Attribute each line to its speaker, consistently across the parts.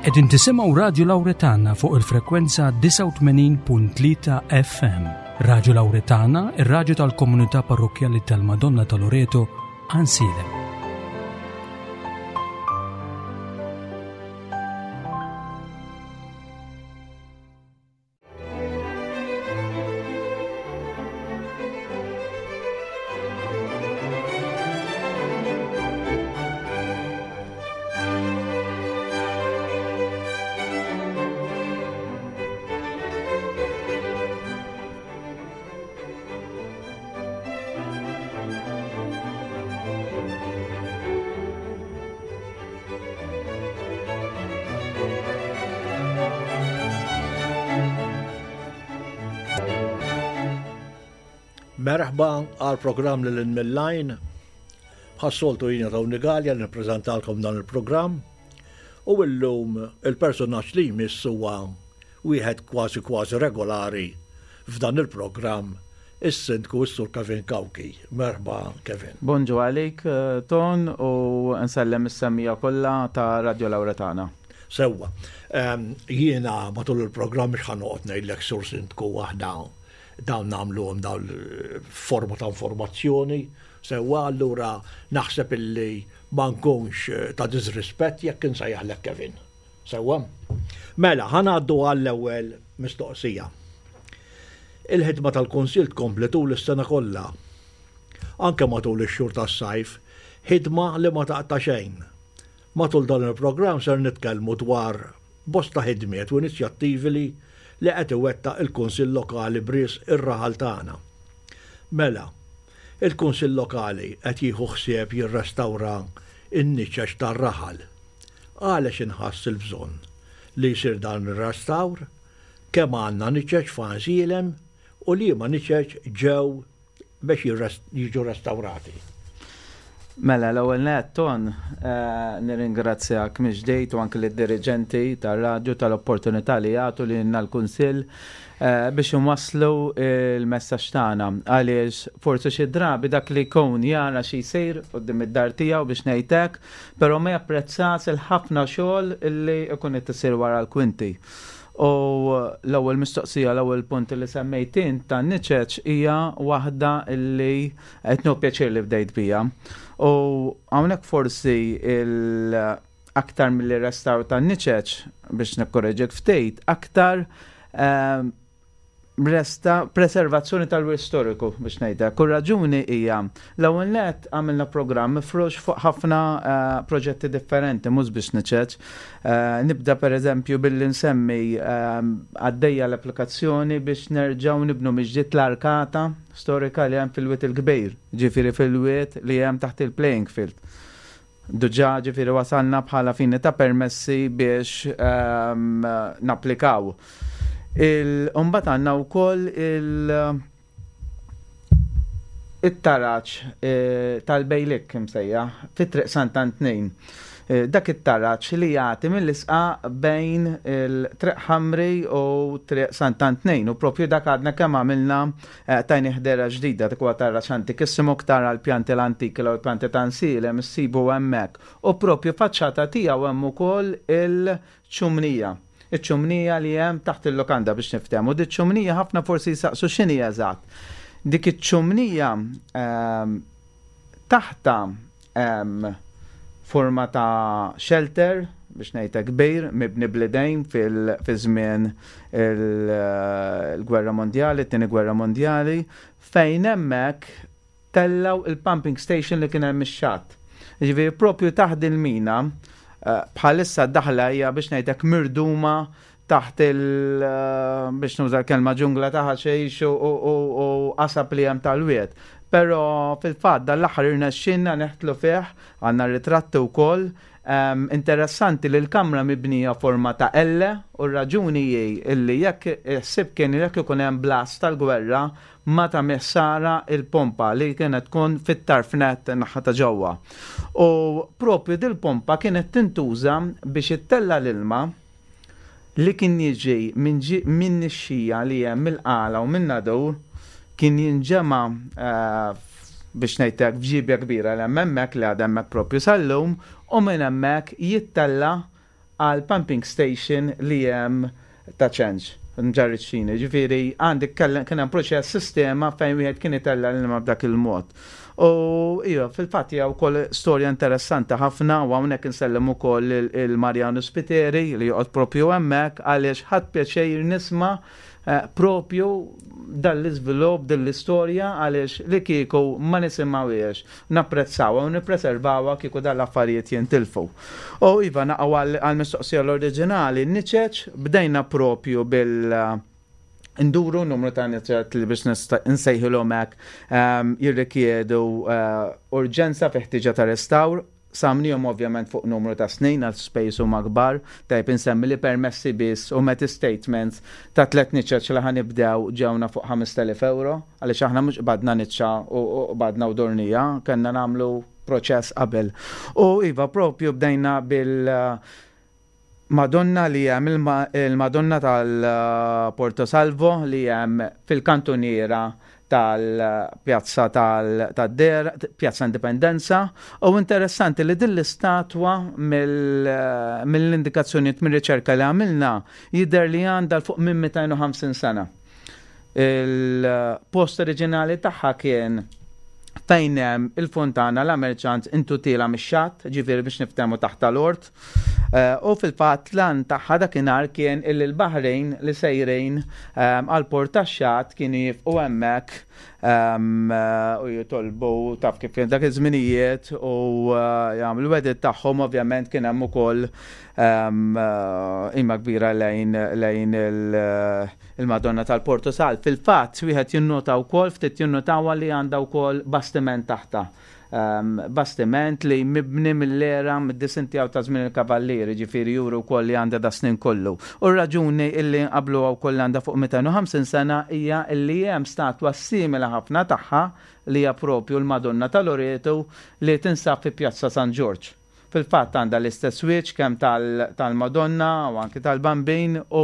Speaker 1: Qegħdin tisimgħu Radju Lawretana fuq il-frekwenza 89.3 FM. Radju Lawretana, ir-radju tal-komunità parrokkjali tal-Madonna ta' Loreto, Għansielem.
Speaker 2: Merħba għal programm li l-Millajn. Bħas-soltu jiena Tony Gallia li nippreżentalkom dan il-programm. U illum il-personaġġ li jmiss huwa wieħed kważi kważi regolari f'dan il-programm is-Sindku s-Sur Kevin Cauchi. Merħba Kevin.
Speaker 3: Bonġu għalik Ton u nsellem is-semmiegħa kollha ta' Radio Lauretana.
Speaker 2: Sewwa. Jiena matul il-programm mhux ħa noqgħod ngħidlek Sur Sindku aħna dawn nagħmluhom dawn forma ta' informazzjoni. Sewwa allura naħseb illi ma nkunx ta' disrispett jekk insejjaħlek Kevin. Sewwa? Mela, ħa ngħaddu għall-ewwel mistoqsija. Il-ħidma tal-Kunsill tkompli tul is-sena kollha. Anke matul ix-xhur tas-sajf, ħidma li ma taqta' xejn. Matul dan il-programm ser nitkellmu dwar bosta ħidmiet u inizjattivi li li qed iwettaq il-Kunsill Lokali b'risq ir-raħal tagħna. Mela, il-Kunsill Lokali qed jieħu ħsieb jirrestawra n-niċeċ tar-raħal. Għalex inħass il-bżonn li jsir dan ir-restawr? Kemm għandna niċeċ f'Għansielem u liema niċeċ ġew biex jiġu restawrati?
Speaker 3: Mela, l-ewwel nett, Ton, nirringrazzjak mill-ġdid u anke lid-diriġenti tar-radju tal-opportunità li jagħtu lilna l-Kunsill biex inwasslu l-messaġġ tagħna għaliex forsi xi drabi dak li jkun jara xi jsir quddiem id-dar tiegħu biex ngħid hekk, però ma japprezzas il-ħafna xogħol li jkun qed isir wara l-kwinti. U l-ewwel mistoqsija, l-ewwel punt li semmejt int tan-niċeċ hija waħda li qed nieħu pjaċir li bdejt biha. U hawnhekk forsi il aktar milli restawr tan-niċeċ biex nikkoreġik ftit, aktar ehm, resta preservazzjoni tal-wirt storiku biex ngħidha. Kull raġuni hija l-ewwel nett għamilna programm mifrux fuq ħafna eh, proġetti differenti mhux biex niċeċ. Eh, nibda pereżempju billi nsemmi eh, għaddejja l-applikazzjoni biex nerġgħu nibnu miġdiet l-arkata storika li hemm fil-Wied il-Kbir, ġifieri fil-wied li hemm taħt il-playing field. Diġà ġifieri wasalna bħala fini ta' permessi biex ehm, napplikaw. Imbagħad għandna wkoll il- it-taraġ eh, tal-bejlik imsejja fit-triq Sant'Antnin. Eh, dak it-taraġ li jagħti mill-isqa bejn il-Triq Ħamri u Triq Sant'Antnin u propju dak għadna kemm għamilna Eh, tajni ħdera ġdida dik huwa taraġ antikissimu tara l-pjanti l-antiki l pjanti ta' nsilem issibu hemmhekk. U propju faċċata tiegħu hemm ukoll il-ċumnija. Iċ-ċumnija li hemm taħt il-lukanda biex niftehmu. Di ċumnija ħafna forsi jsaqsu x'inhi eżatt. Dik iċ-ċumnija ehm, taħta Hemm forma ta' shelter, biex ngħid hekk kbir, mibni bl-idejn fi żmien il-Gwerra Mondjali, it-Tieni Gwerra Mondjali, fejn hemmhekk tellgħu il-pumping station li kien hemm ix-xatt. Jiġifieri propju taħt il-mina, eh, bħalissa d-daħla hija biex ngħid hekk mirduma taħt il biex nuża l-kelma ġungla ta' ħaxix u qasab li hemm tal-wied. Però fil-fatt dan l-aħħar irnexxielna neħtlu fih, għandna ritratti wkoll. Interessanti li l-kamra mibnija forma ta' L u r-raġuni hi illi jekk il-ħsieb kien jekk ikun hemm blast tal-gwerra ma tagħmel ħsara il-pompa li kienet tkun fit-tarf nett naħa ta' ġewwa. U propju dil-pompa kienet tintuża biex ittella' l-ilma li kien jiġi minn nixxija li hemm mill-Qala u min-Nadur kien jinġema' biex ngħid hekk f'ġiebja kbira li hemm hemmhekk li għadha hemmhekk proprju sal-lum u minn hemmhekk jittella' għal pumping station li hemm ta' ċenċ, mġarriċ Ġifieri għandek kien hemm proċess sistema fejn wieħed kien itella' l-ilma b'dak il-mod. U iva, fil-fatt hija wkoll storja interessanti ħafna u hawnhekk insellem ukoll il-Marjanu Spiteri li joqgħod propju hemmhekk għaliex ħadd pjaċir nisma' eh, propju dan l-iżvilupp din l-istorja għaliex li kieku ma nisimgħuhiex, napprezzawha u nippreservawha kieku dan l-affarijiet jintilfu. U iva naqgħu għall-mistoqsija l-oriġinali, niċeċ bdejna propju bil nduru numru ta' niċeċ li biex nsejħilhom hekk ehm, jirrikjedu eh, urġenza fi ħtiġa ta' restawr Samnihom ovvjament fuq numru ta' snin għal spejjeż huma kbar, tajjeb insemmi li permessi biss u meti statements ta' tlett niċeċ li ħa nibdew ġewna fuq 5,000 ewro, għaliex aħna mhux qbadna niċċa u qbadna u dornija, kellna nagħmlu proċess qabel. U iva propju bdejna bil Madonna li hemm il-Madonna tal-Porto Salvo li hemm fil-kantuniera tal-pjazza tad-Der, Pjazza Indipendenza, u interessanti li din l-istatwa mill-indikazzjonijiet mir-riċerka li għamilna jidher li għandha 'l fuq minn 250 sena. Il-post oriġinali tagħha kien fejn hemm il-fontana la Merchants intu tiela mix-xatt, ġifieri biex niftehmu taħt tal-ort. Eh, u fil-fatt lan tagħha dakinhar kien illi l-Baħrejn li sejrin eh, għal port tax-xatt kienu jifqu hemmhekk ehm, eh, u jitolbu taf kif kien dak iż-żminijiet u jagħmlu wedit tagħhom ovvjament kien hemm ukoll ehm, imma kbira lejn lejn il-Madonna tal-Porto Sal. Fil-fatt wieħed jinnota wkoll ftit jinnotawha li għandha wkoll bastiment taħta. Bastiment li mibni mill-era mid-disinn tiegħu ta' żmien il-Kavallieri, ġifieri juri wkoll li għandha da snin kollu. U r-raġuni illi nqabbluha wkoll li għandha fuq 250 sena hija illi hemm statwa simili ħafna tagħha li hija propju l-Madonna ta' Loreto li tinsab fi Pjazza San Ġorġ. Fil-fatt għandha l-istess wiċċ kemm tal-Madonna u anki tal-Bambin u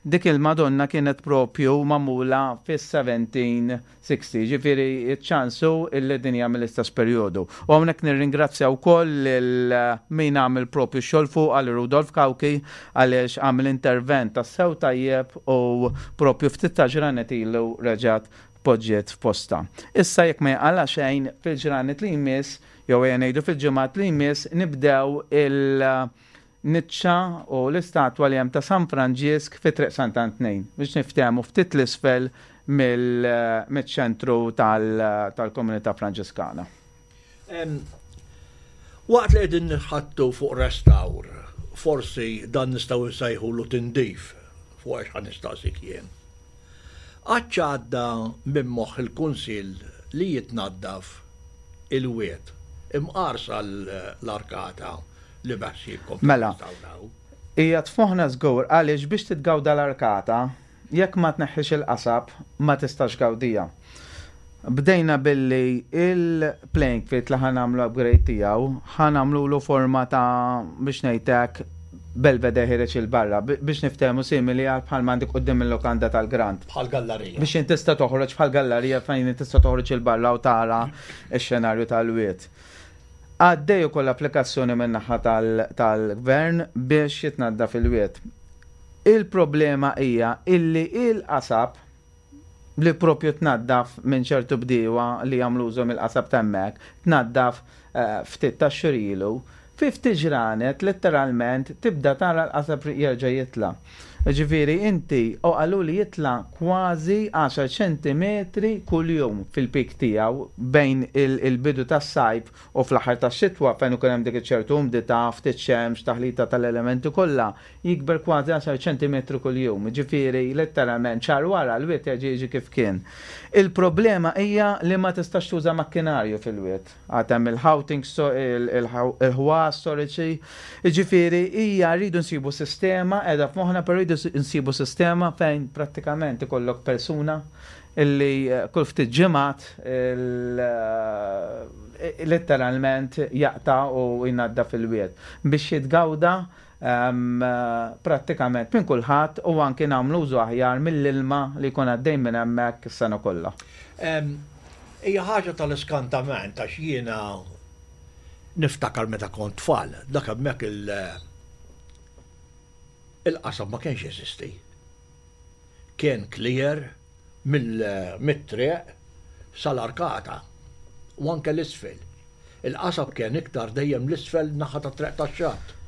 Speaker 3: dik il-Madonna kienet propju magħmula fis-1760, jiġifieri ċ-ċans hu illi din hija mill-istess perjodu. U hawnhekk nirringrazzja wkoll lil min għamel propju x-xogħol fuqha lil Rudolf Cauchi għaliex għamel intervent tassew tajjeb u propju ftit ta' ġranet ilu reġgħet poġġiet f'postha. Issa jekk ma jinqala' xejn fil-ġranet li jmiss Jew ejja ngħidu fil-ġimgħat li jmiss nibdew il-niċċa u l-istatwa li hemm ta' San Franġisk fi Triq Sant'Antnin biex niftehmu ftit 'l isfel mill-ċentru tal-komunità Franġiskana.
Speaker 2: Waqt li qegħdin nitħaddtu fuq restawr, forsi dan nistgħu nsejħulu tindif fuq għax ħa nistaqsik jien. Qatt għadda minn moħħ il-Kunsill li jitnaddaf il-wied, imqar sal-arkata li beħsiebkom
Speaker 3: Mela,
Speaker 2: tirrestawraw.
Speaker 3: hija tfoħna żgur għaliex biex titgawda l-arkata, jekk ma tneħħix il-qasab, ma tistax tgawdiha. Bdejna billi il-playing field li ħa nagħmlu upgrade tiegħu, ħa nagħmlulu forma ta' biex ngħid hekk belvedere ħiereġ 'il barra, biex niftehmu simili għal bħalma għandek quddiem il-lukanda tal-Grand.
Speaker 2: Bħal gallarija.
Speaker 3: Biex int tista' toħroġ bħal gallarija fejn int tista' toħroġ 'il barra u tara x-xenarju tal-wied. Għaddej ukoll applikazzjoni min-naħa tal-Gvern biex jitnaddaf il-wied. Il-problema hija illi il-qasab li propju tnaddaf minn ċertu bdiewa li jagħmlu użu mill-qasab ta' hemmhekk, tnaddaf ftit tax-xhur ilu, fi ftit ġranet letteralment tibda tara l-qasab jerġa' jitla'. Jiġifieri inti, u qaluli jitla' kważi għaxar ċentimetri kuljum fil-peak tiegħu bejn il-bidu tas-sajf u fl-aħħar tax-xitwa fejn ikun hemm dik iċ-ċertu umdità, ftit xemx, taħlita tal-elementi kollha, jikber kważi għaxar ċentimetri kuljum, jiġifieri letteralment xahar wara l-wied jerġa' jiġi kif kien. Il-problema hija li ma tistax tuża makkinarju fil-wied. Għad hemm il-ħawting, il-ħwas storiċi, jiġifieri hija rridu nsibu sistema, qiegħda f'moħħna però rridu nsibu sistema fejn prattikament ikollok persuna illi kull ftit ġimgħat letteralment jaqta' u jnaddaf il-wied biex jitgawda prattikament minn kulħadd u anki nagħmlu użu aħjar mill-ilma li jkun għaddej minn hemmhekk is-sena kollha.
Speaker 2: Hija ħaġa tal-iskantament għax jiena niftakar meta kont tfal, dak hemmhekk il- Il-qasab ma kienx jeżisti. Kien clear mill-triq sal-arkata u anke l-isfel. Il-qasab kien iktar dejjem l-isfel naħa tat-triq tax-xatt.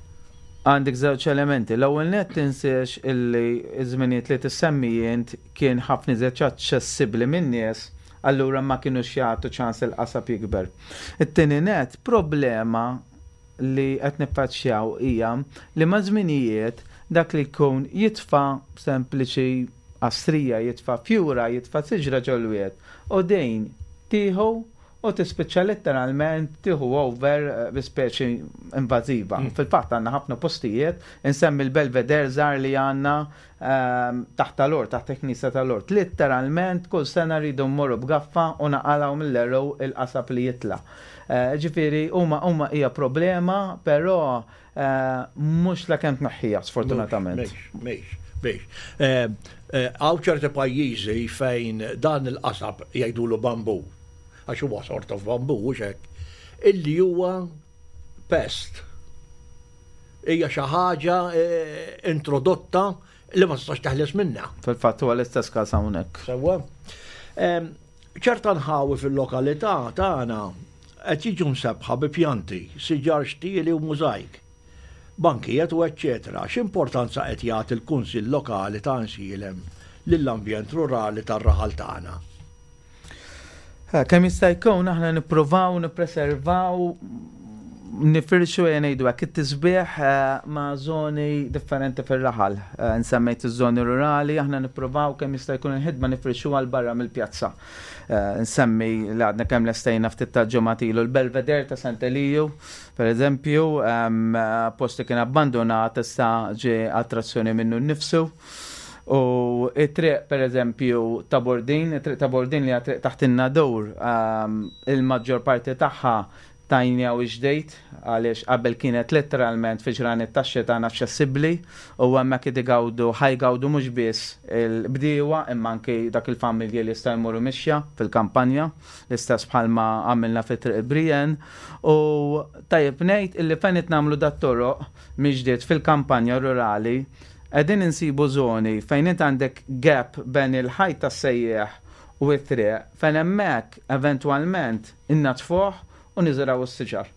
Speaker 3: Għandek żewġ elementi. L-ewwel nett tinsiex illi ż-żminijiet li tissemmi int kien ħafna iżjed aċċessibbli min-nies, allura ma kinux jagħtu ċans il-qasab jikber. It-tieni nett, problema li qed niffaċċjaw hija li maż-żminijiet dak li jkun jitfa' sempliċi qastrija, jitfa' fjura, jitfa' siġra ġol-wied u din tieħu u tispiċċa letteralment tieħu over bi speċi invażiva. Fil-fatt għandna ħafna postijiet, insemmi l-Belvedere żgħar li għandna taħt tal-Ort, taħt il-Knisja tal-Ort. Letteralment kull sena rridu mmorru b'gaffa u naqalgħu mill-għeruq il-qasab li jitla'. Ġifieri huma huma hija problema, però mhux la kemm tneħħiha sfortunatament.
Speaker 2: Mhix, mhix, mhix. Hawn ċerti pajjiżi fejn dan il-qasab jgħidulu bamboo, għax huwa sort of bamboo, hux hekk, illi huwa pest. Hija xi ħaġa introdotta li ma tistax teħles minnha.
Speaker 3: Fil-fatt huwa l-istess każ hawnhekk.
Speaker 2: Sewwa. Ċerta nħawi fil-lokalità tagħna qed jiġu msebbħa bi pjanti, siġar xtieli u mużajk, bankijiet u eċċetera X'importanza qed jagħti l-Kunsill Lokali ta' Għajnsielem lill-ambjent rurali tar-raħal tagħna?
Speaker 3: Kemm jista' jkun aħna nippruvaw nippreservaw nifirxu ejja ngħidu hekk it-tisbieħ ma' żoni differenti fir-raħal. Nsemmejt iż-żoni rurali, aħna nippruvaw kemm jista' jkun il-ħidma nifirxuha 'l barra mill-pjazza. Nsemmi li għadna kemm lestejna ftit tal-ġimgħat ilu l-Belvedere ta' Sant'Eliju, per eżempju, post li kien abbandunat issa ġie attrazzjoni minnu nnifsu. U it-triq, per eżempju, ta' Bordin, it-triq ta' Bordin li hija triq taħt in-Nadur, il-maġġor parti tagħha tajniha u ġdejt għaliex qabel kienet letteralment fi ġranet tax-xita inaċċessibbli u hemmhekk qed igawdu, ħa jgawdu mhux biss il-bdiewa imma anki dak il-familji li jistgħu jmorru mixja fil-kampanja, l-istess bħalma għamilna fi Triq Brienne. U tajjeb ngħid illi fejn qed nagħmlu dat-toroq mill-ġdid fil-kampanja rurali, Qegħdin insibu żoni fejn int għandek gap bejn il-ħajt tas-sejjieħ u t-triq fejn hemmhekk eventwalment innaddfuh u niżirgħu s-siġar.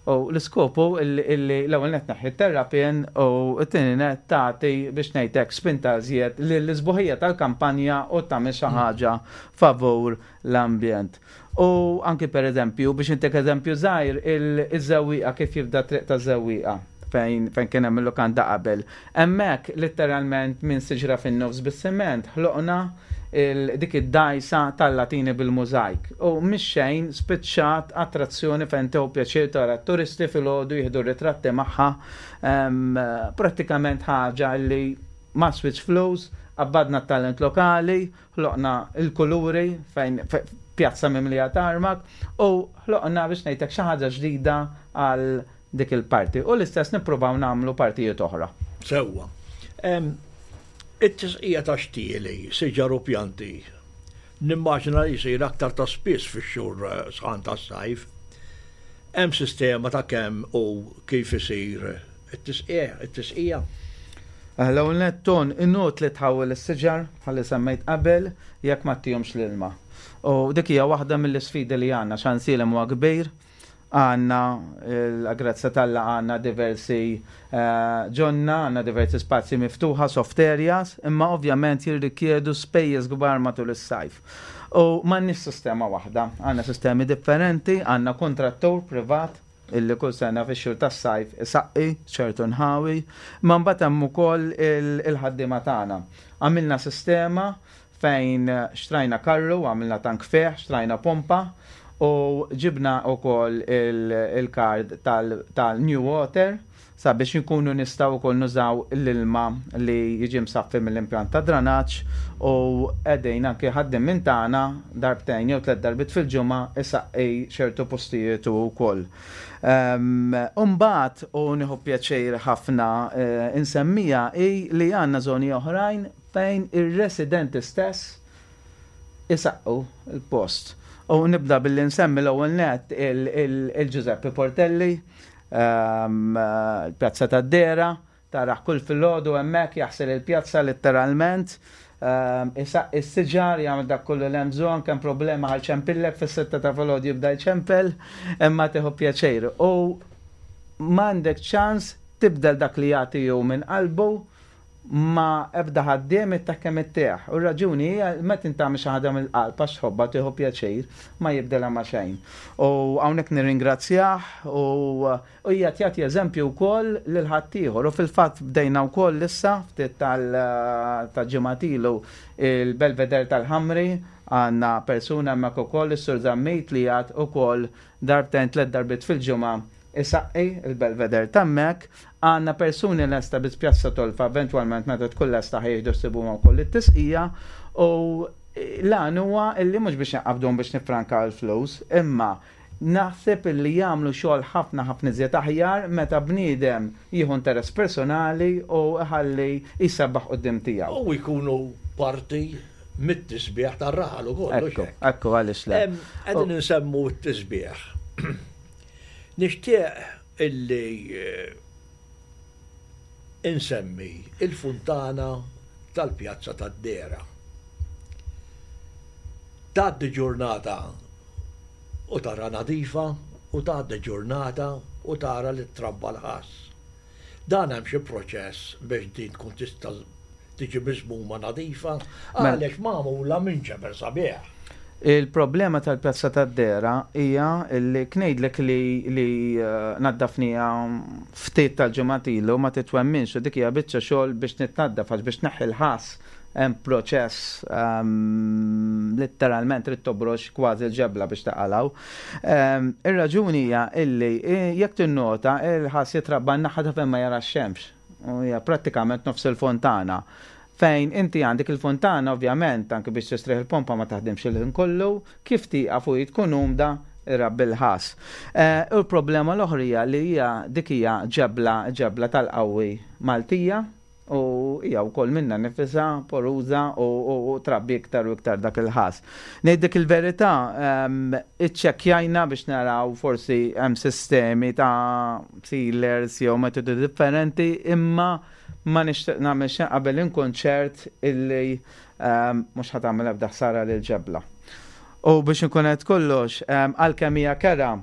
Speaker 3: U l-iskop hu illi l-ewwel nett tneħħi t-terrapien u t-tieni nett tagħti biex ngħid hekk spinta iżjed lill-isbuħija tal-kampanja u tagħmel xi ħaġa favur l-ambjent. U anki per eżempju, biex intik eżempju żgħir, iż-żewwieqa kif jibda t-triq taż-żewwieqa fejn fejn kien hemm il-lukanda qabel. Hemmhekk litteralment minn siġra fin-nofs bis-siment ħloqna dik id-dgħajsa tal-latini bil-mużajk. U mhix xejn spiċċat attrazzjoni fejn tieħu pjaċir tara t-turisti filgħodu jieħdu r-ritratti magħha. Prattikament ħaġa li ma switch flus, qabbadna t-talent lokali, ħloqna l-kuluri fejn pjazza mimlija tarmak u ħloqna biex ngħidlek xi ħaġa ġdida għal dik il-parti. U l-istess nippruvaw nagħmlu partijiet oħra.
Speaker 2: Sewwa. It-tisqija ta' xtieli, siġar u pjanti, nimmaġina li jsir aktar ta' spiss fix-xhur eh, sħan tas-sajf. Hemm sistema ta' kemm u kif isir it-tisqija, it-tisqija?
Speaker 3: Eh, l-ewwel nett ton inutli tħawwel is-siġar bħalli semmejt qabel jekk ma ttihomx l-ilma. U dik hija waħda mill-isfidi li għandna x'għansielem huwa kbir, Għandna, l-grazzja t'Alla għandna diversi ġonna, għandna diversi spazji miftuħa, soft areas, imma ovvjament jirrikjedu spejjeż kbar matul is-sajf. U m'għandniex sistema waħda, għandna sistemi differenti, għandna kuntrattur privat illi kull sena fix-xhur tas-sajf isaqqi ċertu nħawi, imma mbagħad hemm ukoll il-ħaddiema tagħna. Għamilna sistema fejn xtrajna karru, għamilna tank fih, xtrajna pompa u ġibna wkoll il-kard tal-New Water sabiex inkunu nistgħu wkoll nużaw l-ilma li jiġi msaffi mill-impjant ta' dranaġġ u qegħdin anki ħaddiem minn tagħna darbtejn jew tlett darbiet fil-ġimgħa isaqqi ċertu postijiet hu wkoll. U mbagħad u nieħu pjaċir ħafna insemmija hi li għandna żoni oħrajn fejn ir-residenti stess isaqqu l-post. U nibda billi nsemmi l-ewwel nett il-Giuseppe Portelli, il-Pjazza tad-Dera, Tarah kull filgħodu hemmhekk jaħsel il-pjazza litteralment, isaqqi s-siġar, jagħmel dak kollu li hemm bżonn, kemm problema ħa jċempillek fis-sitta ta' filgħodu jibda jċempel, imma tieħu pjaċir. U m'għandek ċans tibdel dak li jagħti hu minn qalbu ma' ebda ħaddiem ittih kemm ittih. U r-raġuni hija meta int tagħmel xi ħaġa mill-qalb għax tħobbha tieħu pjaċir, ma jibdilha ma' xejn. U hawnhekk nirringrazzjah u U qiegħed jagħti eżempju wkoll lil ħaddieħor. U fil-fatt bdejna wkoll issa ftit ta' ġimgħat ilu il-Belvedere tal-Ħamri għandna persuna hemmhekk ukoll is-Sur Zammit li qiegħed ukoll darbtejn tlett darbiet fil-ġimgħa isaqqi il-Belvedere t'hemmhekk. Għandna persuni lesta biss Pjazza Tolfa eventwalment meta tkun lesta ħa jieħdu ħsiebhom wkoll it-tisqija u l-għan huwa illi mhux biex inqabbduhom biex niffrankaw il-flus imma Naħseb illi jagħmlu xogħol ħafna ħafna iżjed aħjar meta bniedem jieħu interess personali u iħalli jsebbaħ quddiem tiegħu.
Speaker 2: U jkunu parti mit-tisbiħ tar-raħal ukoll, hux
Speaker 3: hekk? Ekku, ekku, għaliex le.
Speaker 2: Qegħdin insemmu t-tisbiħ. Nixtieq illi insemmi il-funtana tal-Pjazza tad-Dehra. Tgħaddi ġurnata u tara nadifa u tgħaddi ġurnata u tara li trabba l-ħass. Dan hemm xi proċess biex din tkun tista' tiġi miżmuma nadifa mela. għaliex magħmula minn ġebel sabiħ.
Speaker 3: Il-problema tal-Pjazza tad-Dehra hija li knejdlek li li eh, naddafniha ftit tal-ġimgħat ilu ma titwemminx u dik hija biċċa xogħol biex nitnaddaf għax biex neħħi l-ħass Hemm proċess litteralment trid tobrox kważi l-ġebla biex taqalgħu. Ir-raġuni hija illi jekk tinnota il-ħass jitrabba n-naħa ta' fejn ma jara x-xemx. U hija prattikament nofs il-fontana. Fejn inti għandek il-fontana ovvjament anke biex tistrieħ il-pompa ma taħdimx il-ħin kollu, kif tieqaf u hi tkun umda irabbi l-ħass. U l-problema l-oħra hija li hija dik hija ġebla ġebla tal-qawwi Maltija U hija wkoll minnha nifisha poruża u trabbi iktar u iktar dak il-ħass. Ngħidlek il-verità, iċċekkjajna biex naraw forsi hemm sistemi ta' sealers jew metodi differenti, imma ma nixtieq nagħmel xejn qabel inkun ċert illi mhux ħa tagħmel ebda ħsara lill-ġebla. U biex inkun qed kollox, għalkemm hija kerha,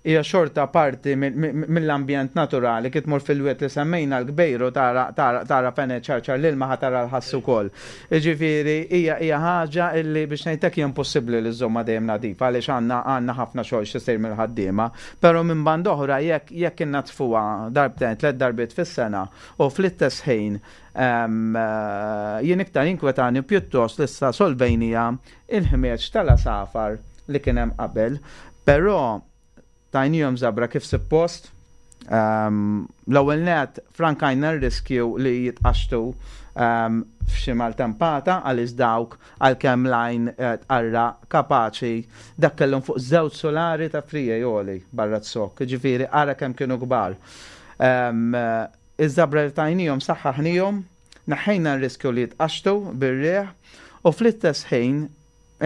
Speaker 3: hija xorta parti mill-ambjent naturali, kif tmur fil-wied li semmejna l-Kbejru tara tara fejn qed iċarċar l-ilma ħa tara l-ħass ukoll. Jiġifieri hija hija ħaġa illi biex ngħid hekk hija impossibbli li żżommha dejjem nadifa għaliex għandna għandna ħafna xogħol x'isir mill-ħaddiema. Però minn banda oħra jekk jekk innaddfuha darbtejn tlett darbiet fis-sena u fl-istess ħin jien iktar jinkwetani pjuttost li issa solvejniha il-ħmieġ tal-għasafar li kien hemm qabel, però tajnihom żabra kif suppost. Ehm, l-ewwel net frankajna r-riskju li jitqaxxtu ehm, f'xi maltempata għaliex dawk għalkemm lajn eh, tqarra kapaċi dak kellhom fuq żewġ solari ta' frijej għoli barra t-sokk, ġifieri ara kemm kienu kbar. Ehm, iż-żabra li tajnihom saħħaħnihom Neħħejna r-riskju li jitqaxxtu bir-riħ u fl-istess ħin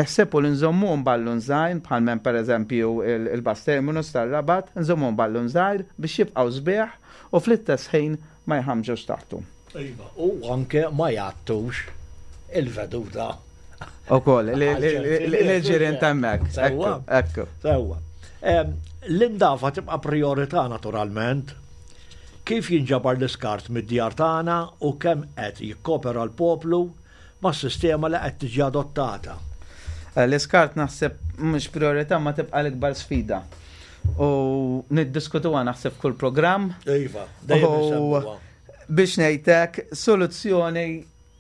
Speaker 3: iħsibu li nżommuhom ballun żgħir bħal m'hemm pereżempju il-bus terminus tar-Rabat, nżommuhom ballun żgħir biex jibqgħu sbieħ u fl-istess ħin ma jħammġux taħtu.
Speaker 2: Iva, u anke ma jgħattux il-veduta.
Speaker 3: Ukoll, l-ġirien ta' hemmhekk.
Speaker 2: Sewwa.
Speaker 3: Ekku.
Speaker 2: Sewwa. L-indafa tibqa' prijorità naturalment. Kif jinġabar l-iskart mid-djar tagħna u kemm qed jikkopera l-poplu mas-sistema li qed tiġi adottata?
Speaker 3: L-iskart naħseb mhux prijorità ma tibqa' l-ikbar sfida. U niddiskutuha naħseb f'kull programm.
Speaker 2: Iva, dejjem insemmuha.
Speaker 3: Biex ngħid hekk, soluzzjoni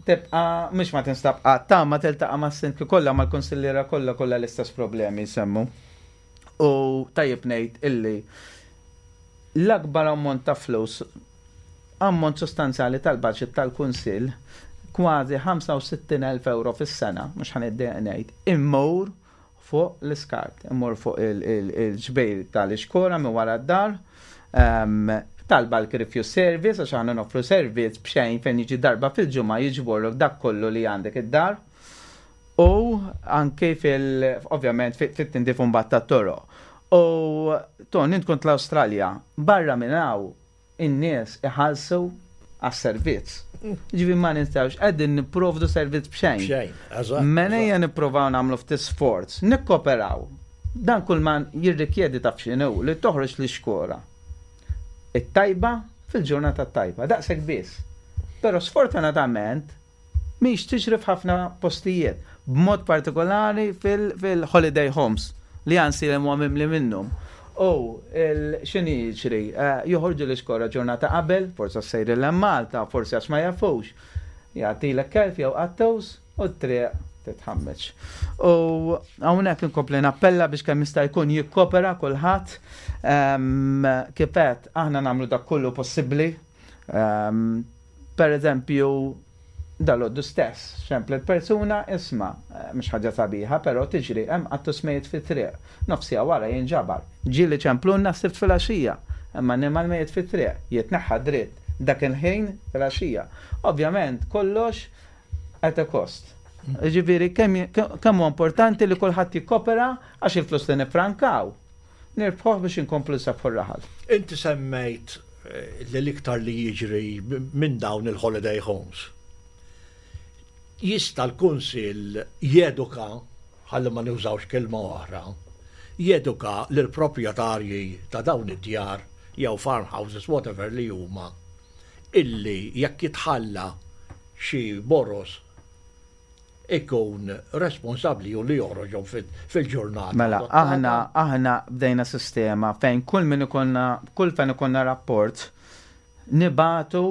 Speaker 3: tibqa' mhux ma tinstab qatt, ta' ma tiltaqa' mas-sindki kollha mal-kunsilliera kollha kollha l-istess problemi jsemmu. U tajjeb ngħid illi l-akbar ammont ta' flus, ammont sostanzjali tal-budget tal-Kunsill, kważi 65,000 ewro fis-sena, mhux ħa niddejjaq ngħid, immur fuq l-iskart, immur fuq il-ġbir tal-ixkora minn wara d-dar, tal-bulk refuse service, għax aħna noffru servizz b'xejn fejn jiġi darba fil-ġimgħa jiġborlok dak kollu li għandek id-dar. U anki fil, ovvjament, fit-tindif imbagħad tat-toroq. U Ton, int kont l-Awstralja, barra minn hawn in-nies iħallsu għas-servizz. Ġifieri ma ninsewx qegħdin nipprovdu servizz b'xejn.
Speaker 2: B'xejn, eżatt.
Speaker 3: Mela ejja nipprovaw nagħmlu ftit sforz, nikkoperaw. Dan kull ma jirrikjedi taf x'inhu li toħroġ l-ixkora. It-tajba fil-ġurnata t-tajba, daqshekk biss. Però sfortunatament mhix tiġri f'ħafna postijiet, b'mod partikolari fil-holiday homes li Għansielem huwa mimli minnhom. U x'inhi jiġri? Joħorġu l-iskora ġurnata qabel, forsi għax sejrin 'l Malta, forsi għax ma jafux. Jagħtilek kelb jew qattus u t-triq titħammeġ. U hawnhekk inkompli nappella biex kemm jista' jkun jikkopera kulħadd. Kif għedt, aħna nagħmlu dak kollu possibbli. Per eżempju, dalgħodu stess, xemplet persuna, isma', mhux ħaġa sabiħa, però tiġri, hemm qattus mejjet fit-triq. Nofs siegħa wara jinġabar. Ġieli ċemplulna s-Sibt filgħaxija, hemm annimal mejjet fit-triq, jitneħħa dritt dak il-ħin filgħaxija. Ovvjament kollox at a cost. Jiġifieri kemm huwa importanti li kulħadd jikkopera għax il-flus li niffrankaw, nirbħuh biex inkomplu nsabbħu r-raħal.
Speaker 2: Inti semmejt li l-iktar li jiġri minn dawn il-holiday homes. Jista' l-Kunsill jeduka, ħalli ma nużawx kelma oħra, jeduka lill-proprjetarji ta' dawn id-djar jew farmhouses whatever li huma illi jekk jitħalla xi boroż ikun responsabbli hu li joħroġhom fil-ġurnata.
Speaker 3: Mela, aħna aħna bdejna sistema fejn kull min ikollna kull fejn ikollna rapport nibagħtu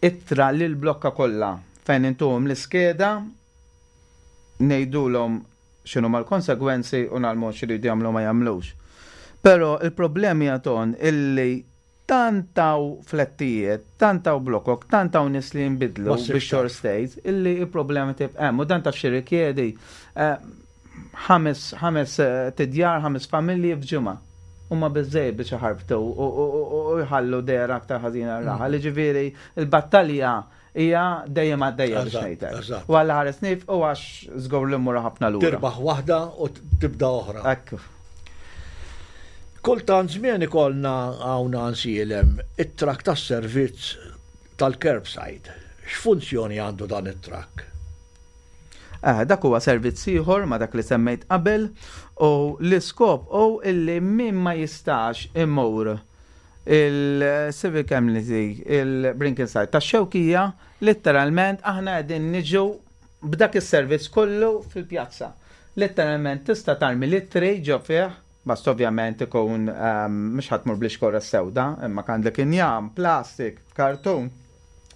Speaker 3: ittra lil blokka kollha fejn intuhom l-iskeda ngħidulhom x'inhuma l-konsegwenzi u ngħallmuhom x'iridu jagħmlu u ma jagħmlux. Però il-problemi hija Ton illi Tant hawn flettijiet, tant hawn blokok, tant hawn nies li jinbidlu bix-short stays illi l-problema tibqa' hemm. U dan taf x'jirrikjedi? Ħames tidjar, ħames familji f'ġimgħa. Huma biżżejjed biex iħarbtu u jħallu dehra aktar ħażina r-raħal. Jiġifieri l-battalja Hija dejjem għaddejja biex ngħid hekk. U Alla ħares nifqu għax żgur li mmur ħafna lura.
Speaker 2: Tirbaħ waħda u tibda oħra.
Speaker 3: Ekku.
Speaker 2: Kultant żmien ikollna hawn Għansielem it-trakk tas-servizz tal-curbside. X'funzjoni għandu dan it-trakk?
Speaker 3: Eh, dak huwa servizz ieħor ma' dak li semmejt qabel u l-iskop hu illi min ma jistax imur il-Civic Amnesty, il-Brinkinside tax-Xewkija, litteralment aħna qegħdin niġu b'dak is-servizz kollu fil-pjazza. Litteralment tista' tarmi l-ittri ġo fih, basta ovvjament ikun mhux ħa tmur bl-ixkora s-sewda, imma għandek injam, plastik, kartun.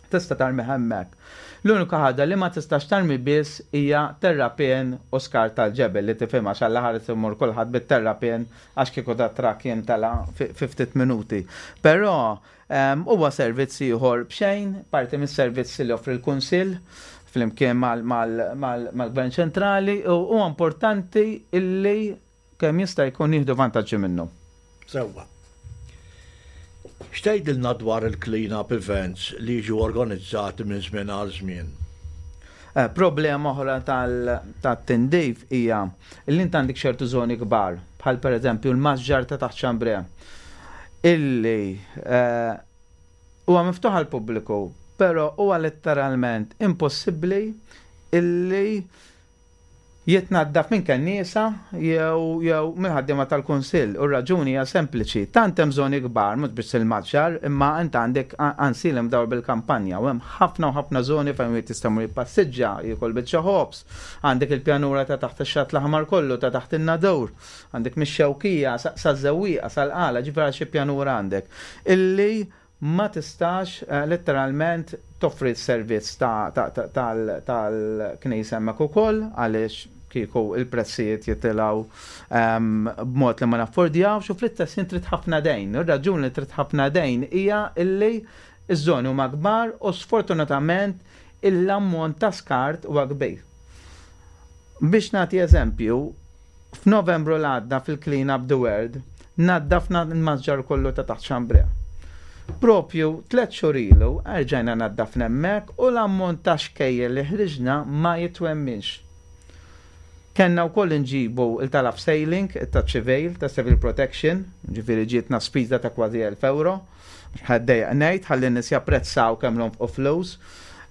Speaker 3: Tista' tarmih hemmhekk. L-unika ħaġa li ma tistax tarmi biss hija terrapien u skart tal-ġebel li tifhimha għax Alla ħares imur kulħadd bit-terrapien għax kieku dat-trakk jimtela fi ftit minuti. Però huwa servizz ieħor b'xejn, parti mis-servizzi li joffri l-Kunsill flimkien mal-Gvern Ċentrali u huwa importanti illi kemm jista' jkun jieħdu vantaġġi minnu.
Speaker 2: Sewwa. X'tgħidilna dwar il-clean up events li jiġu organizzati minn żmien għal żmien?
Speaker 3: Eh, problema oħra tat-tindif hija li int għandek ċertu żoni kbar, bħal pereżempju l-masġar ta' taħt Xambre, illi eh, huwa miftuħ għall-pubbliku, però huwa letteralment impossibbli illi jitnaddaf minn kenniesa jew jew mill-ħaddiema tal-kunsill u r-raġuni hija sempliċi, tant hemm żoni kbar, mhux biss il-Maġġar, imma int għandek Għansil imdawwar bil-kampanja u hemm ħafna u ħafna żoni fejn wieħed jista' jmur jippassiġġa, jiekol biċċa ħobż, għandek il-pjanura ta' taħt ix-Xatt l-Aħmar kollu, ta' taħt in-Nadur, għandek mix-Xewkija saż-Żewwieqa, sal-Qala, ġifieri għal xi pjanura għandek illi ma tistax letteralment toffri s-servizz tal-knisja hemmhekk ukoll għaliex kieku l-prezzijiet jitilgħu b'mod li ma naffordjawx u fl-istess ħin trid ħafna dejn. Ir-raġuni li trid ħafna dejn hija illi ż-żoni huma kbar u sfortunatament l-ammont ta' skart huwa kbir. Biex nagħti eżempju, F'Novembru l-għadda fil-Clean Up the World naddafna l-masġar kollu ta' taħt Chambray. Propju tlett xhur ilu erġajna naddafna hemmhekk u l-ammont ta' xkejjer li ħriġna ma jitwemminx. Kellna wkoll inġibu il-talab sailing, ta' ċivil, ta' civil protection, ġifieri ġietna spiża ta' kważi 1000 euro. Ħaddejja ngħid ħalli n-nies japprezzaw kemm nonfqu flus.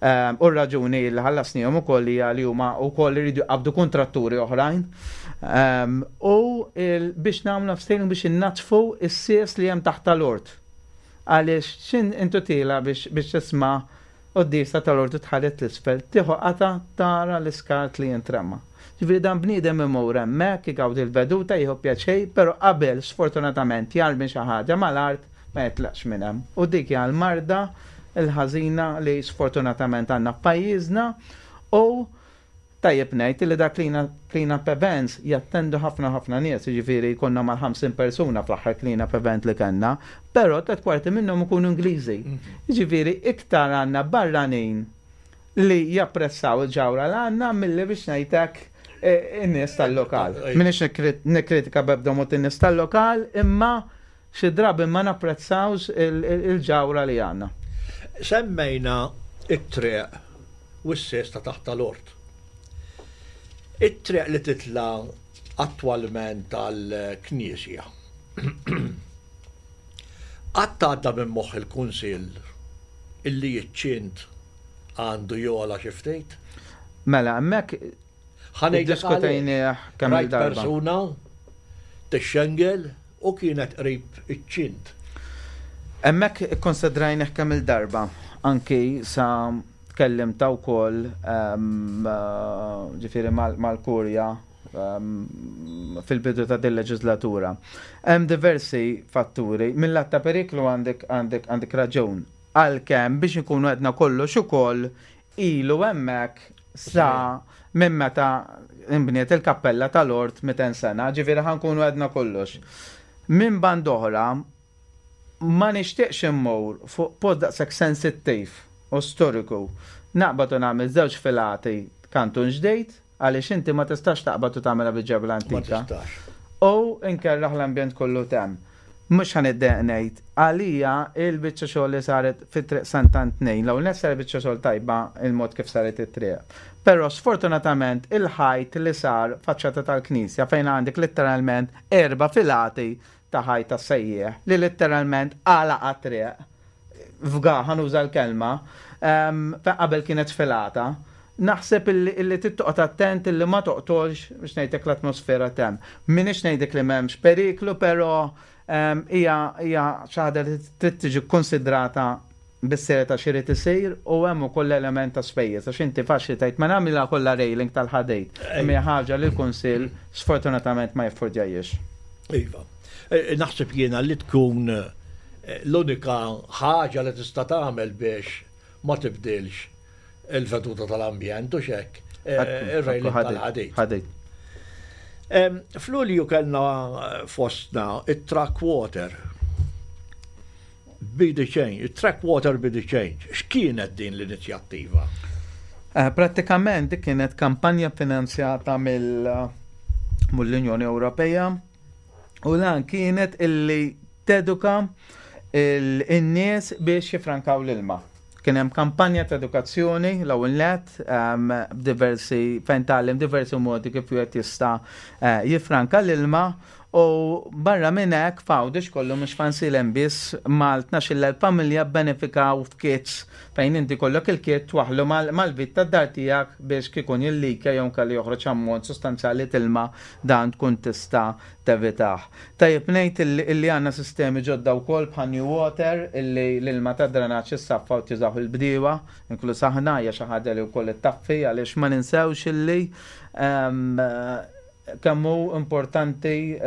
Speaker 3: U r-raġuni li ħallasnihom ukoll hija li huma wkoll iridu jqabdu kontratturi oħrajn. U biex nagħmlu sailing biex innaddfu s-sies li hemm taħt tal-ort. Għaliex xin intu tila biex tisma' quddiesa tal-ordu tħares 'l isfel, tieħu qata tara l-iskart li jintrema. Ġifieri dan bniedem imur hemmhekk igawdi l-veduta, jieħu pjaċir, però qabel sfortunatament jarmi xi ħaġa mal-art ma jitlaqx minn hemm. U dik hija l-marda l-ħażina li sfortunatament għandna f'pajjiżna u tajjeb ngħid li da clean up events jattendu ħafna ħafna nies, jiġifieri jkollna mal-50 persuna fl-aħħar clean up event li kellna, però 3/4 minnhom ikunu Ingliżi. Jiġifieri iktar għandna barranin li japprezzaw il-ġawra li għandna milli biex ngħidlek in-nies tal-lokal. M'iniex nikkritika b'ebda mod in-nies tal-lokal, imma xi drabi ma napprezzawx il-ġawra li għandna.
Speaker 2: Semmejna it-triq u s-sess ta' taħt tal-ort. It-triq li titla attwalment tal-Knisja. Qatt għadda minn moħħ il-Kunsill illi iċ-ċint għandu jogħla xi ftit?
Speaker 3: Mela, hemmhekk diskutejnieh kemm
Speaker 2: il-darba. Persuna tixxengel u kienet qrib iċ-ċint.
Speaker 3: Hemmhekk ikkonsidrajnieh kemm il-darba, anki sa tkellimta wkoll ġifieri mal-kurja fil-bidu ta' din leġislatura. Hemm diversi fatturi. Mill-lat ta' periklu għandek għandek għandek raġun. Għalkemm biex nkunu għedna kollox ukoll ilu hemmhekk sa minn meta imbniet il-kappella tal-ort 200 sena, ġifieri ħa nkunu għedna kollox. Minn band oħra, ma nixtieqx immur fuq post daqshekk sensittiv u storiku. Naqbad u nagħmel żewġ filati kantun ġdid, għaliex inti ma tistax taqbad u tagħmilha bil-ġebla antika. U nkerraħ l-ambjent kollu tem. Mhux ħa niddejjaq ngħid, għalija il-biċċa xogħol li saret fit-triq Sant'Antnin, l-ewwel nett saret biċċa xogħol tajba il-mod kif saret it-triq. Però sfortunatament il-ħajt li sar faċċata tal-knisja fejn għandek letteralment erba' filati ta' ħajt tas-sejjieħ li letteralment għalaq triq fga ħa nuża l-kelma, fejn qabel kienet filata. Naħseb illi trid toqgħod attent illi ma toqtolx biex ngħidlek l-atmosfera t'hemm. M'iniex ngħidlek li m'hemmx periklu, però hija xi ħaġa li trid tiġi kkonsidrata bis-serjetà x'irid isir u hemm ukoll l-element ta' spejjeż għax inti faċli tgħid ma nagħmilha kollha railing tal-ħadid. Imma hija ħaġa li l-Kunsill sfortunatament ma jaffordjahiex.
Speaker 2: Iva. Naħseb jiena li tkun l-unika ħaġa li tista' tagħmel biex ma tibdilx il-veduta tal-ambjent u xek. Ir-railing tal-ħadid.
Speaker 3: Ħadid.
Speaker 2: F'Lulju kellna fostna it-truck water. Be the change, track water be the change. X'kienet din l-inizjattiva?
Speaker 3: Prattikament dik kienet kampanja finanzjata mill-Unjoni Ewropea u lan kienet illi teduka in-nies biex jifrankaw l-ilma. Kien hemm kampanja ta' edukazzjoni l-ewwel nett b'diversi fejn tgħallem diversi modi kif wieħed jista' jifranka l-ilma u barra minn hekk f'Għawdex kollu mhux f'Għajnsielem biss mal-12,000 familja benefikaw f'kits fejn inti kollok il-kit twaħlu mal-vit tad-dar tiegħek biex kikun jillika jew kellu joħroġ ammont sostanzjali t'ilma dan tkun tista' tevitah. Tajjeb ngħid illi għandna sistemi ġodda wkoll bħal New Water illi l-ilma ta' drenaġġ issaffa u tużaw il-bdiewa, inkluż aħna hija xi ħaġa li wkoll ittaffi għaliex ma ninsewx illi kemm hu importanti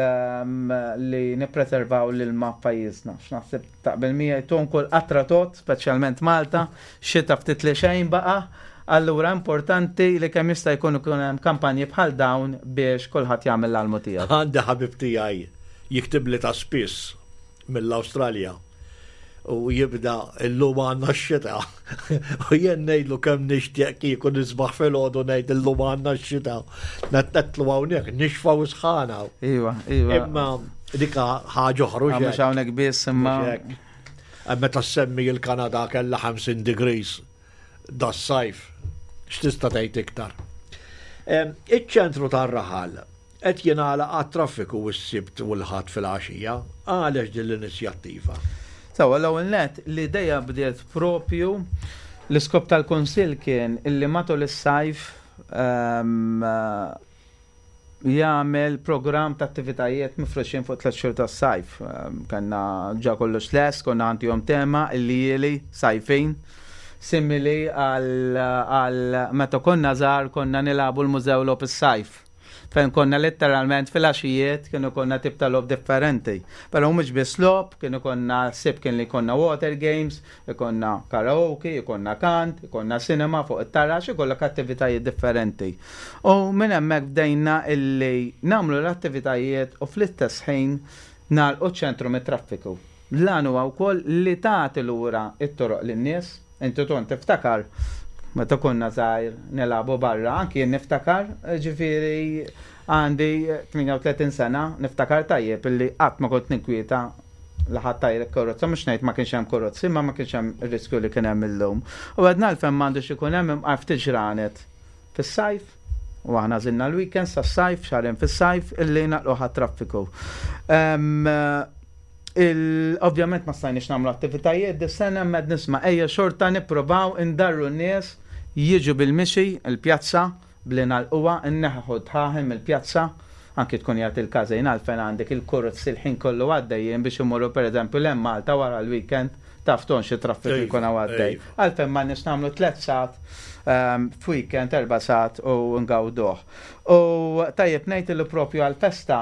Speaker 3: li nippreservaw l-ilma f'pajjiżna. X'naħseb taqbel miegħi tkun kull qatra tot, speċjalment Malta, xita ftit li xejn baqa', allura importanti li kemm jista' jkun ikun hemm kampanji bħal dawn biex kulħadd jagħmel l-almu tiegħu.
Speaker 2: Għandi ħabib tiegħi jiktibli ta' spiss mill-Awstralja u jibda illum għandna x-xita. U jien ngħidlu kemm nixtieq kieku nisbaħ filgħodu ngħid illum għandna x-xita. Netlu hawnhekk nixfa u sħana.
Speaker 3: Iva.
Speaker 2: Imma dika ħaġa oħra.
Speaker 3: Mhux hawnhekk biss imma.
Speaker 2: Meta semmi il-Kanada kellha 50 degrees das-sajf. X'tista' tgħid iktar? Iċ-ċentru tar-raħal qed jingħalaq għat-traffiku s-Sibt u l-Ħadd filgħaxija. Għalex din l-inizjattiva?
Speaker 3: Sewwa, l-ewwel nett, l-idea bdiet propju, l-iskop tal-Kunsill kien illi matul is-sajf jagħmel programm ta' attivitajiet mifruxin fuq tlett xhur tas-sajf. Kellna ġa kollox lest, konna ħantihom tema il-ljieli sajfin, simili għal meta konna żgħar konna nilagħbu l-mużew logħob is-sajf. fejn konna letteralment fil-għaxijiet kienu konna tip ta' logħob differenti. Però mhux biss logħob, kienu konna sib kien li konna water games, ikonna karaoke, ikonna kant, ikonna cinema fuq it-taraġ, ikollok attivitajiet differenti. U minn hemmhekk bdejna illi nagħmlu l-attivitajiet u fl-istess ħin nagħlqu ċ-ċentru mit-traffiku. L-għan huwa wkoll li tagħti lura t-toroq lin-nies. Inti Ton tiftakar meta konna żgħir nilagħbu barra, anki jien niftakar, ġifieri għandi 38 sena, niftakar tajjeb illi qatt ma kont ninkwieta li ħadd tajrek karozza, mhux ngħid ma kienx hemm karozzi, imma ma kienx hemm ir-riskju li kien hemm illum. U għedna għalfejn m'għandux ikun hemm imqar ftit ġranet fis-sajf, u aħna għażilna l-weekends tas-sajf, xahrejn fis-sajf, illi nagħlquh għat-traffiku. Ovvjament ma stajniex nagħmlu attivitajiet dis-sena imma qed nisma' ejja xorta nipprovaw indarru n-nies jiġu bil-mixi l-pjazza bli nagħlquha, inneħħu d-dħaħen mill-pjazza, anki tkun qiegħed il-każin għalfejn għandek il-kurz il-ħin kollu għaddejjin biex imorru pereżempju 'l hemm Malta wara l-weekend taf ton xi traffiku jkun hawn għaddej. Għalfejn m'għandniex nagħmlu tlett sigħat f'weekend, erba' sigħat u ngawduh. U tajjeb ngħid li propju għall-festa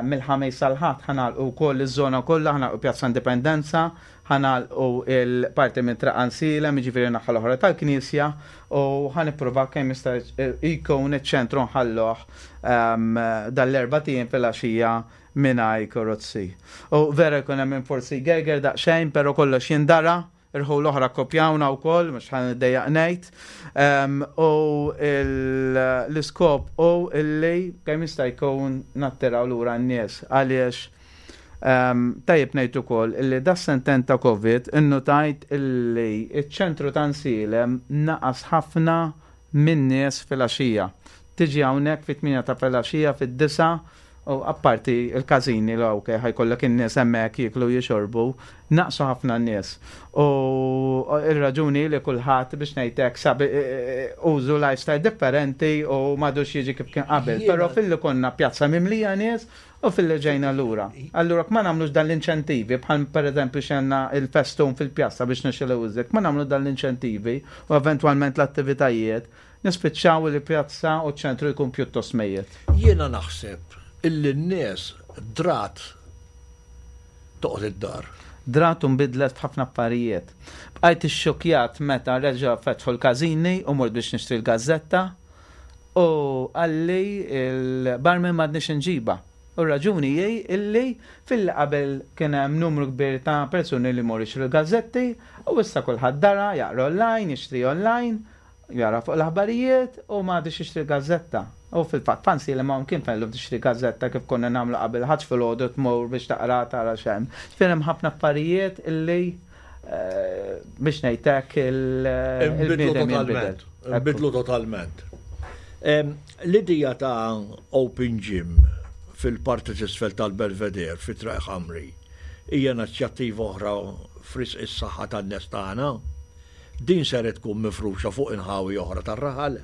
Speaker 3: mill-Ħamis sal-Ħadd ħa nagħlqu wkoll iż-żona kollha, ħa nagħlqu Pjazza Indipendenza, ħa nagħlqu l-parti minn Triq Ansilem, jiġifieri n-naħa l-oħra tal-Knisja, u ħa nippruvaw kemm jista' jkun iċ-ċentru nħalluh dan l-erbat ijiem filgħaxija mingħajr karozzi. U vera jkun hemm min forsi jgerger daqsxejn, però kollox jindara, irħul oħra kkopjawna wkoll, mhux ħa niddejjaq ngħid. U l-iskop hu illi kemm jista' jkun nattiraw lura n-nies għaliex tajjeb ngħid ukoll illi das-sentejn ta' Covid innutajt illi ċ-ċentru ta' Nsielem naqas ħafna min-nies filgħaxija. Tiġi hawnhekk fit-tmienja ta' filgħaxija, fid-disgħa, u apparti l-każini li ok ħa jkollok in-nies hemmhekk jieklu u jixorbu, naqsu ħafna n-nies. U r-raġuni li kulħadd biex ngħid hekk sab użu lifestyle differenti u m'għadux jiġi kif kien qabel. Però filli konna pjazza mimlija nies u filli ġejna lura. Allura ma nagħmlux dan l-inċentivi bħal pereżempju xenna il-festun fil-pjazza biex nixilgħu iżjed, ma nagħmlu dan l-inċentivi u eventwalment l-attivitajiet, Nispiċċaw li pjazza u ċ-ċentru jkun pjuttost mejjet.
Speaker 2: Jiena naħseb illi n-nies drat toqgħod id-dar.
Speaker 3: Drat u nbidlet f'ħafna affarijiet. Bqajt ixxukkjat meta reġgħu fetħu l-każini u mort biex nixtri l-gażżetta u qalli l-barman m'għadniex inġibha. U r-raġuni hi illi filli qabel kien hemm numru kbir ta' persuni li jmorru jixtru l-gażżetti u issa kulħadd dara, jaqra online, jixtri online Jara fuq l-aħbarijiet u m'għadux jixtri gazzetta. U fil-fatt fancy li m'hawn kien fejn llum tixtri gazzetta kif konna nagħmlu qabel ħadd filgħodu tmur biex taqra tara x'hemm. Ġifieri hemm ħafna affarijiet illi biex ngħid hekk
Speaker 2: il-bniedem jinbidel. Inbidlu totalment. L-idea ta' open gym fil-parti t'isfel tal-Belvedere fi Triq Ħamri hija inizjattiva oħra f'risq is-saħħa tan-nies tagħna. Din ser tkun mifruxa fuq inħawi oħra tar-raħal.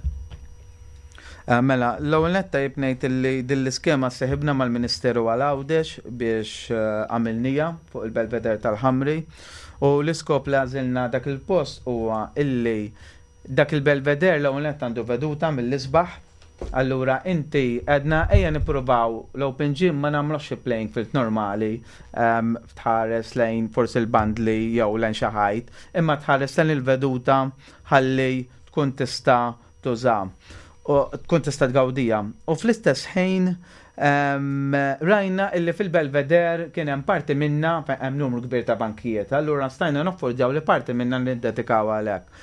Speaker 3: Mela, l-ewwel nett tajjeb ngħid illi din l-iskema sseħibna mal-Ministeru għal Għawdex biex għamilniha fuq il-Belvedere tal-Ħamri u l-iskop li għażilna dak il-post huwa illi dak il-Belvedere l-ewwel nett għandu veduta mill-isbaħ. Allura inti għedna ejja nippruvaw l-open gym ma nagħmluhx fi playing field normali tħares lejn forsi l-bandli jew lejn xi ħajt, imma tħares lejn il-veduta ħalli tkun tista' tuża u tkun tista' tgawdija. U fl-istess ħin rajna illi fil-Belvedere kien hemm parti minna fejn hemm numru kbir ta' bankijiet, allura stajna noffordjaw li parti minna niddedikaw għalhekk.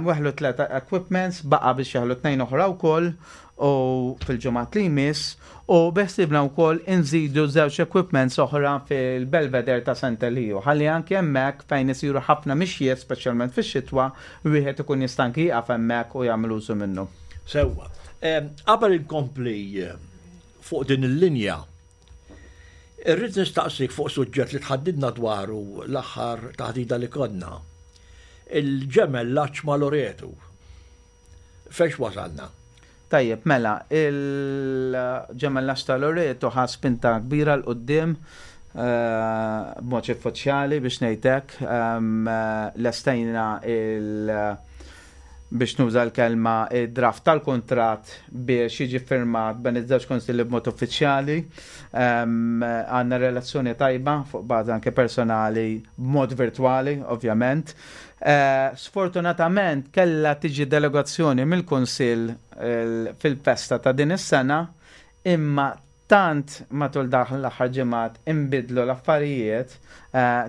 Speaker 3: Weħlu tlet equipments, baqa' biex jeħlu tnejn oħra wkoll u fil-ġimgħat li jmiss u beħsiebna wkoll inżidu żewġ equipments oħra fil-Belvedere ta' Sant Eliju ħalli anki hemmhekk fejn isiru ħafna mixjiet speċjalment fix-xitwa wieħed ikun jista' anki jieqaf hemmhekk u jagħmel użu minnu.
Speaker 2: Sewwa. Qabel inkompli fuq din il-linja, irrid nistaqsik fuq suġġett li tħaddidna dwaru l-aħħar taħdida li konna. Il-ġemellaġġ ma' Loretu. Fejx wasalna?
Speaker 3: Tajjeb, mela, il-ġemellaġġ ta' Loreto ħa spinta kbira 'l quddiem b'mod uffiċjali biex ngħid hekk. Lestejna il- biex nuża l-kelma id-draft tal-kuntratt biex jiġi ffirmat bejn iż-żewġ kunsilli b'mod uffiċjali. Għandna relazzjoni tajba fuq bażi anke personali b'mod virtwali, ovvjament. Sfortunatament kellha tiġi delegazzjoni mill-Kunsill fil-festa ta' din is-sena imma tant matul dawn l-aħħar ġimgħat inbidlu l-affarijiet,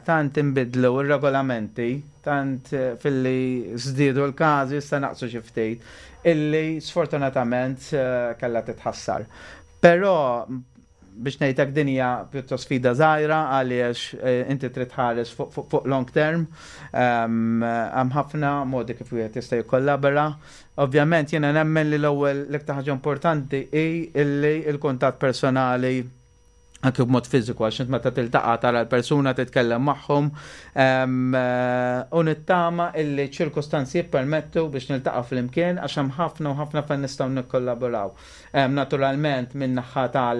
Speaker 3: tant inbidlu r-regolamenti, tant filli żdiedu l-każi issa naqsu xi ftit, illi sfortunatament kellha titħassar. Però biex ngħid hekk din hija pjuttost sfida żgħira għaliex inti trid tħares fuq long term. Hemm ħafna modi kif wieħed jista' jikkollabora. Ovvjament jiena nemmen li l-ewwel l-iktar ħaġa importanti hi illi l-kuntatt personali anke b'mod fiżiku għax int meta tiltaqa' tara l-persuna titkellem magħhom u nittama illi ċirkustanzi jippermettu biex niltaqa' flimkien għax hemm ħafna u ħafna fejn nistgħu nikkollaboraw. Naturalment min-naħa tal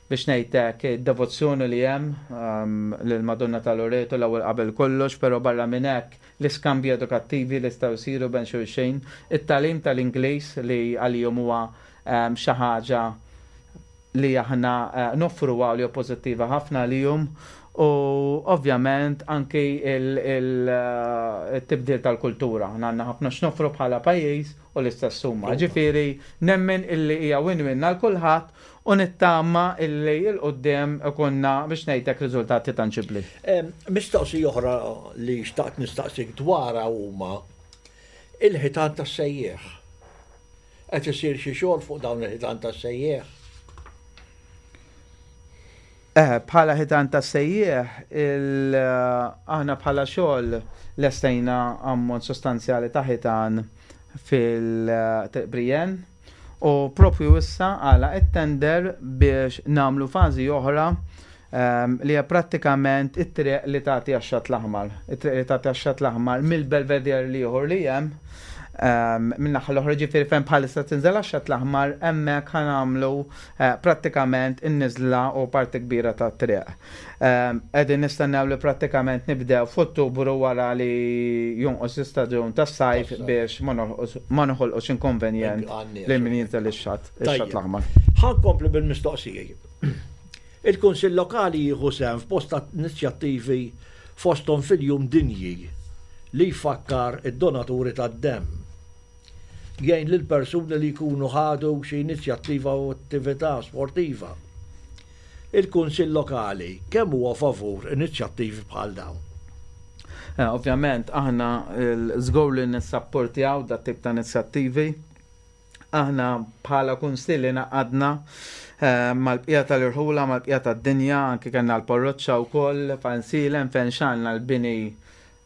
Speaker 3: biex ngħid hekk id-devozzjoni li hemm lill-Madonna ta' Loreto l-ewwel qabel kollox, però barra minn hekk l-iskambji edukattivi li jistgħu jsiru bejn xulxin, it-tagħlim tal-Ingliż li għalihom huwa xi ħaġa li aħna noffruha u li hu pożittiva ħafna għalihom u ovvjament anki il-tibdil tal-kultura. Aħna għandna ħafna x'noffru bħala pajjiż u l-istess huma. Ġifieri nemmen illi hija win-win għal kulħadd u nittama illi 'l quddiem ikollna biex ngħid hekk riżultati tanġibbli.
Speaker 2: Mistoqsija oħra li xtaqt nistaqsik dwarha huma il-ħitan tas-sejjieħ. Qed isir xi xogħol fuq dawn il-ħitan tas-sejjieħ?
Speaker 3: Eh, bħala ħitan ta' sejjieħ, aħna bħala xogħol lestejna ammont sostanzjali ta' ħitan fil-Triq u propju issa għala it-tender biex namlu fażi oħra li hija prattikament it-triq li tagħti għax-Xatt l-Aħmar. It-triq li tagħti għax-Xatt l-Aħmar mill-Belvedere l-ieħor li hemm min-naħa l-oħra ġifieri fejn bħalissa tinżel għax-Xatt l-Aħmar hemmhekk ħa nagħmlu prattikament in-niżla u parti kbira tat-triq. Qegħdin nistennew li prattikament nibdew f'Ottubru wara li jonqos l-istaġun tas-sajf biex ma noħolqux inkonvenjent lil min jinżel ix-Xatt l-Aħmar.
Speaker 2: Ħa nkompli bil-mistoqsiji. Il-Kunsill Lokali jieħu sehem f'bosta inizjattivi fosthom fil-Jum Dinji li jfakkar id-donaturi tad-demm. Jgħin lil persuni li jkunu ħadu xi inizjattiva u attività sportiva. Il-Kunsill Lokali kemm huwa favur inizjattivi bħal dawn?
Speaker 3: Ovvjament aħna żgur li nissapportjaw dat-tip ta' inizjattivi. Aħna bħala kunsill ingħaqadna mal-bqija tal-irħula, mal-bqija tad-dinja, anki kellna l-parroċċa wkoll f'Għajnsielem fejn xgħalna l-bini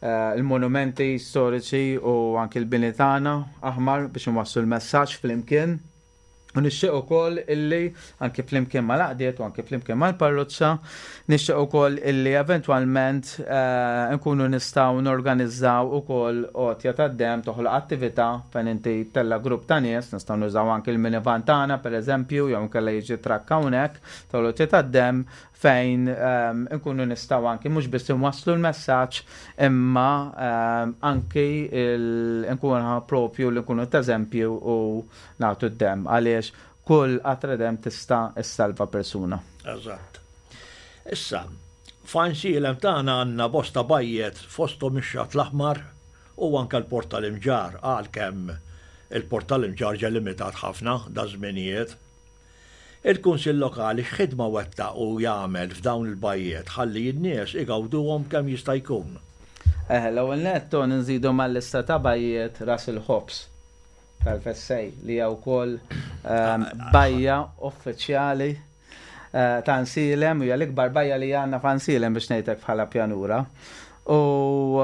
Speaker 3: il-monumenti storiċi u anki l-bini tagħna aħmar biex inwasslu l-messaġġ flimkien. U nixtieq ukoll illi anki flimkien mal-għaqdiet u anki flimkien mal-parroċċa, nixtieq ukoll illi eventwalment nkunu nistgħu norganizzaw ukoll għotja tad-demm toħloq attività fejn inti tella' grupp ta' nies, nistgħu nużaw anki l-minivan tagħna pereżempju jew inkella jiġi trakk hawnhekk tal-għotja tad-demm fejn inkunu nistgħu anki mhux biss inwasslu l-messaġġ imma anki nkunu propju li nkunu t'eżempju u nagħtu d-demm għaliex kull qatra demm tista' ssalva persuna.
Speaker 2: Eżatt. Issa, f'Għajnsielem tagħna għandna bosta bajjet fosthom ix-Xatt l-Aħmar u anke l-Port tal-Imġarr għalkemm il-Port tal-Imġarr ġie limitat ħafna daż-żminijiet. Il-Kunsill Lokali x'ħidma wettaq u jagħmel f'dawn il-bajjiet ħalli n-nies igawduhom kemm jista' jkun?
Speaker 3: Eħe, l-ewwel nett Tony nżidu mal-lista ta' bajjiet Ras il-Ħobż tal-Fessej li hija wkoll bajja uffiċjali ta' Nsielem u hija l-ikbar bajja li għandna f'Għansielem biex ngħid hekk bħala pjanura. U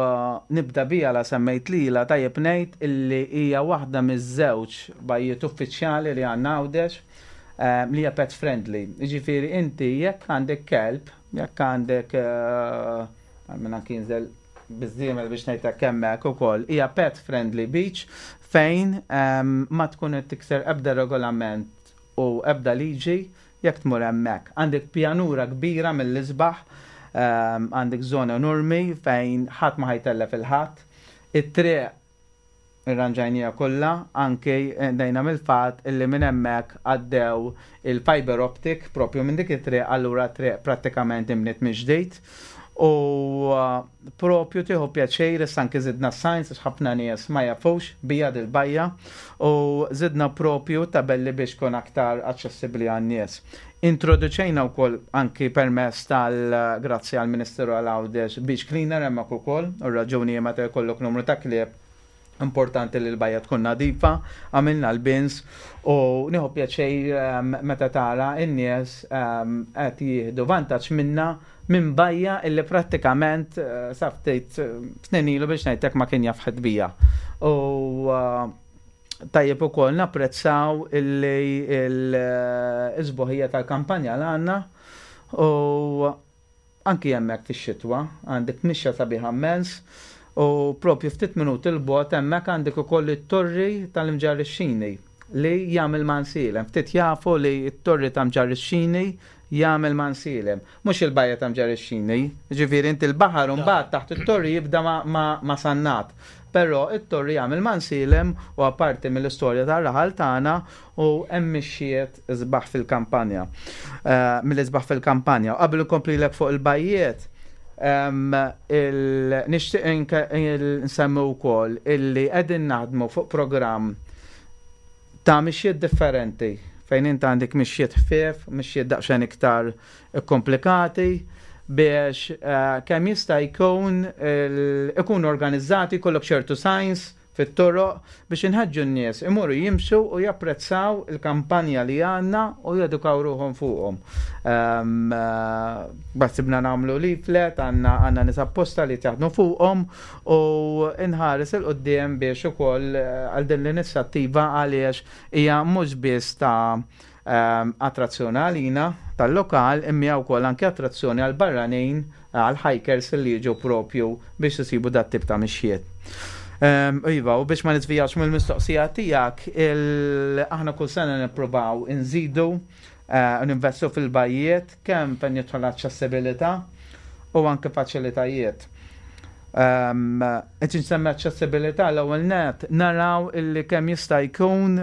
Speaker 3: nibda biha la semmejt lilha, tajjeb ngħid illi hija waħda miż-żewġ bajjiet uffiċjali li għandna Għawdex li hija pet friendly. Jiġifieri inti jekk għandek kelb, jekk għandek minn anki jinżel biż-żiemel biex ngħid hekk hemmhekk ukoll, hija pet friendly beach fejn ma tkun qed tikser ebda regolament u ebda liġi jekk tmur hemmhekk. Għandek pjanura kbira mill-isbaħ, għandek żona enormi fejn ħadd ma ħa jtellef il-ħadd. It-triq irranġajniha kollha, anki bdejna mill-fatt illi minn hemmhekk għaddew il-fibre optic propju minn dik it-triq, allura t-triq prattikament inbniet mill-ġdid. U propju tieħu pjaċir issa anki żidna s-signs għax ħafna nies ma jafux bija dil-bajja u żidna propju tabelli biex tkun aktar aċċessibbli għan-nies. Introduċejna wkoll anki permezz tal grazzi għall-Ministeru għal Għawdex beach cleaner hemmhekk ukoll u r-raġuni hi meta jkollok numru ta' klieb Importanti li l-bajja tkun nadifa, għamilna l-bins u nieħu pjaċir meta tara n-nies qed jieħdu vantaġġ minna minn bajja illi prattikament sa ftit snin ilu biex ngħidlek ma kien jaf ħadd bija. U tajjeb ukoll napprezzaw illi l-isbuħija tal-kampanja l għandna u Anki hemmhekk fix-xitwa għandek mixja sabiħa mmens u proprju ftit minuti 'l bogħod hemmhekk għandek ukoll it-Torri tal-Imġarrixxini li jagħmel Mansielem. Ftit jafu li t-Torri ta' Mġarrixxini jagħmel Mansielem. Mhux il-bajja ta' Mġarrixxini. Jiġifieri inti l-baħar imbagħad taħt it-torri jibda ma' Sannat. Però t-torri jagħmel Mansielem u apparti mill-istorja tar-raħal tagħna u hemm mixjiet isbaħ fil-kampanja. Eh, mill-isbaħ fil-kampanja. U qabel inkomplilek fuq il-bajjiet, nixtieq nsemmi wkoll illi qegħdin naħdmu fuq programm ta' mixjiet differenti fejn int għandek mixjiet ħfief, mixjiet daqsxejn iktar komplikati biex eh, kemm jista' jkun ikun organizzati jkollok ċertu signs fit-toroq biex inħeġġu n-nies imorru jimxu u japprezzaw il-kampanja li għandna u jedukaw ruħhom fuqhom. Baħsibna nagħmlu leaflet, għandna għandna nies apposta li jaħdmu fuqhom u nħares 'il quddiem biex ukoll għal din l-inizjattiva għaliex hija mhux biss ta' attrazzjoni għalina tal-lokal imma hija wkoll anke attrazzjoni għall-barranin, għall-hikers li jiġu propju biex isibu dat-tip ta' mixjiet. Iva, u biex ma niżvijax mill-mistoqsija tiegħek, aħna kull sena nippruvaw inżidu u ninvestu fil-bajjiet kemm fejn jidħol aċċessibilità u anke faċilitajiet. Qed insemmi aċċessibilità l-ewwel nett naraw illi kemm jista' jkun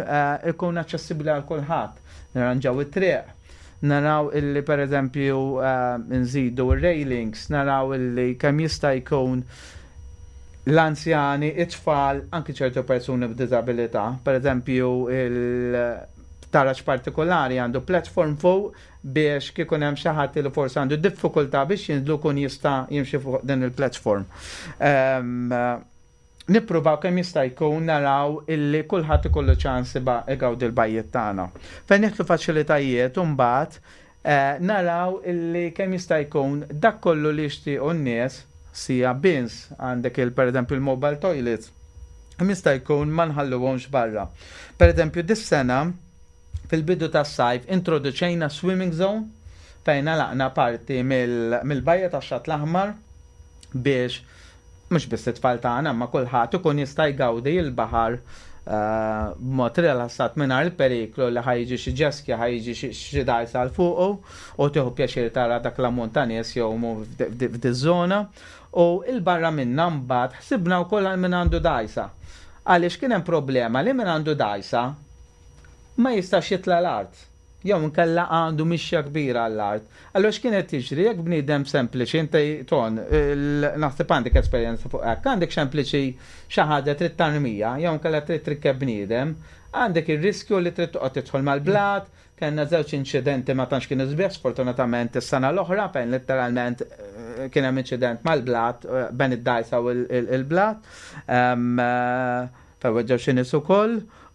Speaker 3: ikun aċċessibbli għal kulħadd. Nirranġaw it-triq, naraw illi pereżempju nżidu r-railings, naraw illi kemm jista' jkun l-anzjani, it-tfal, anki ċertu persuni b'diżabilità, pereżempju il-taraġ partikolari għandu platform fuq biex kieku hemm xi ħadd li forsi għandu diffikultà biex jinżlu jkun jista' jimxi fuq din il-platform. Ehm, nippruvaw kemm jista' jkun naraw illi kulħadd ikollu ċans igawdi l-bajjiet tagħna. Fejn jidħlu faċilitajiet u mbagħad eh, naraw illi kemm jista' jkun dak kollu li jixtiequ n-nies sija bins għandek il pereżempju il-mobile toilets kemm jista' jkun ma nħalluhomx barra. Pereżempju dis-sena Fil-bidu tas-sajf introduċejna swimming zone fejn għalaqna parti mill-bajja tax-Xatt l-Aħmar biex mhux biss it-tfal tagħna imma kulħadd ikun jista' jgawdi l-baħar b'mod rilassat mingħajr il-periklu li ħa jiġi xi jet ski, ħa jiġi xi dgħajsa għal fuqu u tieħu pjaċir tara dak l-ammont ta' nies jgħumu f'diż-żona. U 'l barra minnha mbagħad ħsibna wkoll għal min għandu dgħajsa. Għaliex kien hemm problema li min għandu dgħajsa ma jistax jitla' l-art, jew inkella għandu mixja kbira għall-art. Allura x'kien qed jiġri jekk bniedem sempliċi, inti Ton, naħseb għandek esperjenza fuq hekk, għandek sempliċi xi ħaġa trid tarmija, jew inkella trid trikkeb bniedem, għandek ir-riskju li trid toqgħod tidħol mal-blat, kellna żewġ inċidenti ma tantx kienu sbieħ sfortunatament is-sena l-oħra fejn litteralment kien hemm inċident mal-blat bejn id-dgħajsa u l-blat. fejn weġġgħu xi nies ukoll,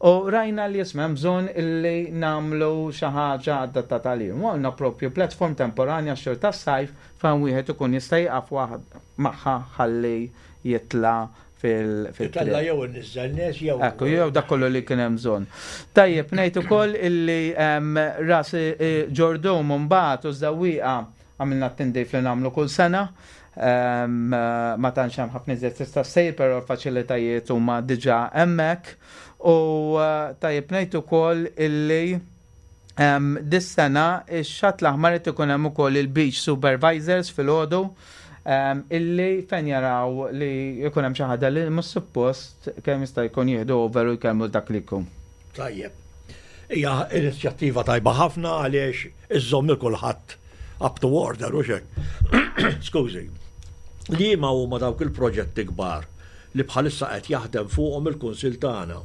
Speaker 3: u rajna li isma' hemm bżonn illi nagħmlu xi ħaġa adattata għalihom. U għamilna propju platform temporanja għax-xhur tas-sajf fejn wieħed ikun jista' jieqaf magħha ħalli jitla' fil-triq.
Speaker 2: Itella' jew inniżżel nies jew.
Speaker 3: Ekku, jew dak kollu li kien hemm bżonn. Tajjeb ngħid ukoll illi ras Ġordum mbagħad u Żewwieqa għamilna t-tindif li nagħmlu kull sena. Ma tantx hemm ħafna iżjed tista' ssir, però l-faċilitajiet huma diġà hemmhekk. U tajjeb ngħid ukoll illi Dis-sena ix-Xatt l-Aħmar qed ikun hemm ukoll il-beach supervisors filgħodu illi fejn jaraw li jkun hemm xi ħaġa li mhux suppost kemm jista' jkun jieħdu over u jkellmu dak li jkun.
Speaker 2: Tajjeb. Hija inizjattiva tajba ħafna għaliex iżżomm lil kulħadd up to order u xek. Skużi. Liema huma dawk il-proġetti kbar li bħalissa qed jaħdem fuqhom il-Kunsill tagħna?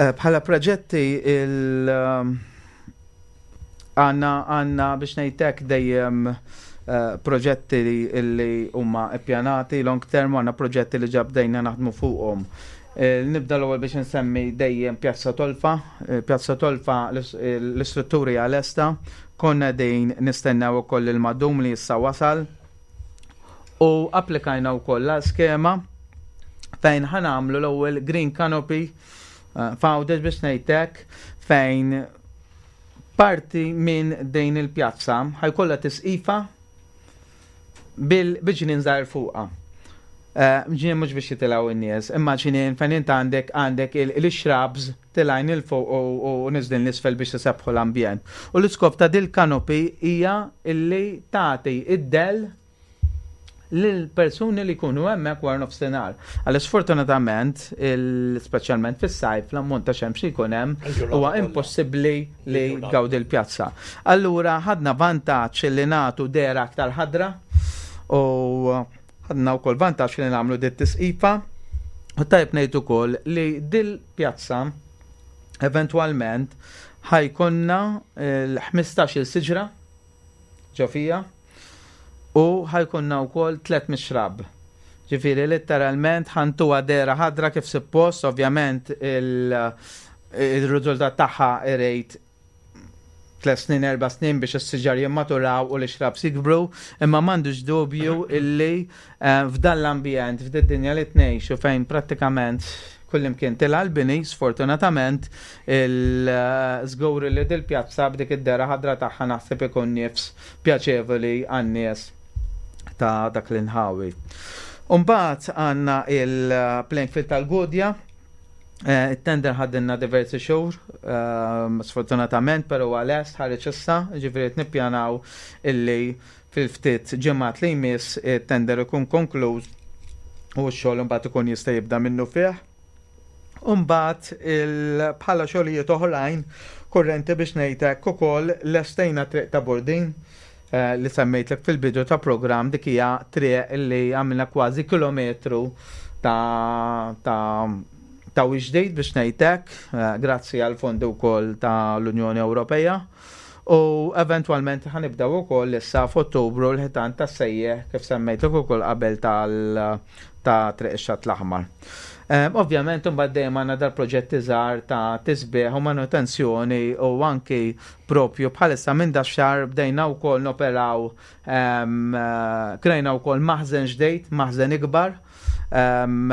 Speaker 3: Eh, bħala proġetti il eh, għanna għanna biex ngħidlek dejjem eh, proġetti li huma ippjanati long term għandna proġetti li ġabdejna naħdmu fuqhom. Nibda l-ewwel biex nsemmi dejjem Pjazza Tolfa. Pjazza Tolfa l-istrutturi għal-esta, konna dejn nistennew ukoll il-madum li issa wasal. U applikajna wkoll għal skema fejn ħanamlu l-ewwel green canopy eh, f'Għawdex biex ngħidlek fejn parti minn din il-pjazza ħajkollha tisqifa bil-ġnien żgħir fuqha. Eh, ġnien mhux biex jitilgħu n-nies, imma ġnien fejn int għandek għandek il-shrubs tilgħin 'il fuq u niżlin 'l isfel biex isebbħu l-ambjent. U l-iskop ta' dil-canopy hija illi tagħti id-dell lill-persuni li jkunu hemmhekk wara nofsinhar. Għaliex sfortunatament, speċjalment fis-sajf, l-ammont ta' xemx li jkun hemm huwa impossibbli li tgawdi l-pjazza. Allura ħadna vantaġġ li nagħtu dehra aktar ħadra u Ħadna wkoll vantaġġ li nagħmlu dit tisqifa u tajjeb ngħid ukoll li dil-pjazza eventwalment ħajkonna l-15-il siġra ġo fija u ħajkonna wkoll 3 mixrab. Ġifieri letteralment ħantuha dehra ħadra kif suppost, ovvjament il-riżultat tagħha irid tlet snin, erba' snin biex is-siġar jimmaturaw u l-ixrabs jikbru, imma m'għandux dubju illi eh, f'dan l-ambjent, f'din dinja li tnejxu fejn prattikament kullimkien tilha l-bini, sfortunatament, il-żgur li dil-pjazza b'dik id-dera ħadra tagħha naħseb ikun nifs pjaċevoli għan-nies ta' dak l-inħawi. Umbagħad għandna il-playing field tal-Gudja, Eh, it-tender ħadinna diversi xhur, ehm, sfortunatament, pero għal-est ħareġ issa, ġifieri nippjanaw illi fil-ftit ġimgħat li jmiss it-tender ikun konkluż u x-xogħol imbagħad ikun jista' jibda minnu fih. Umbagħad bħala xogħlijiet oħrajn kurrenti biex ngħidlek ukoll lestejna triq ta' Burdin eh, li semmejtlek fil-bidu ta' programm dik hija triq li għamilna kważi kilometru ta' ta' ta' ġdid biex ngħidlek, eh, grazzi għal fondi wkoll ta' l-Unjoni Ewropea. U eventwalment ħanibdew ukoll issa f'Ottubru l-ħitan tas sejjeħ kif semmejtlek ukoll qabel tal ta' Triq ix-Xatt l-Aħmar. Ehm, ovvjament imbagħad dejjem għandna dal-proġetti żgħar ta' tisbieħ u manutenzjoni u anki propju bħalissa minn dax-xahar bdejna wkoll noperaw ehm, krejna wkoll maħżen ġdejt, maħżen ikbar ehm,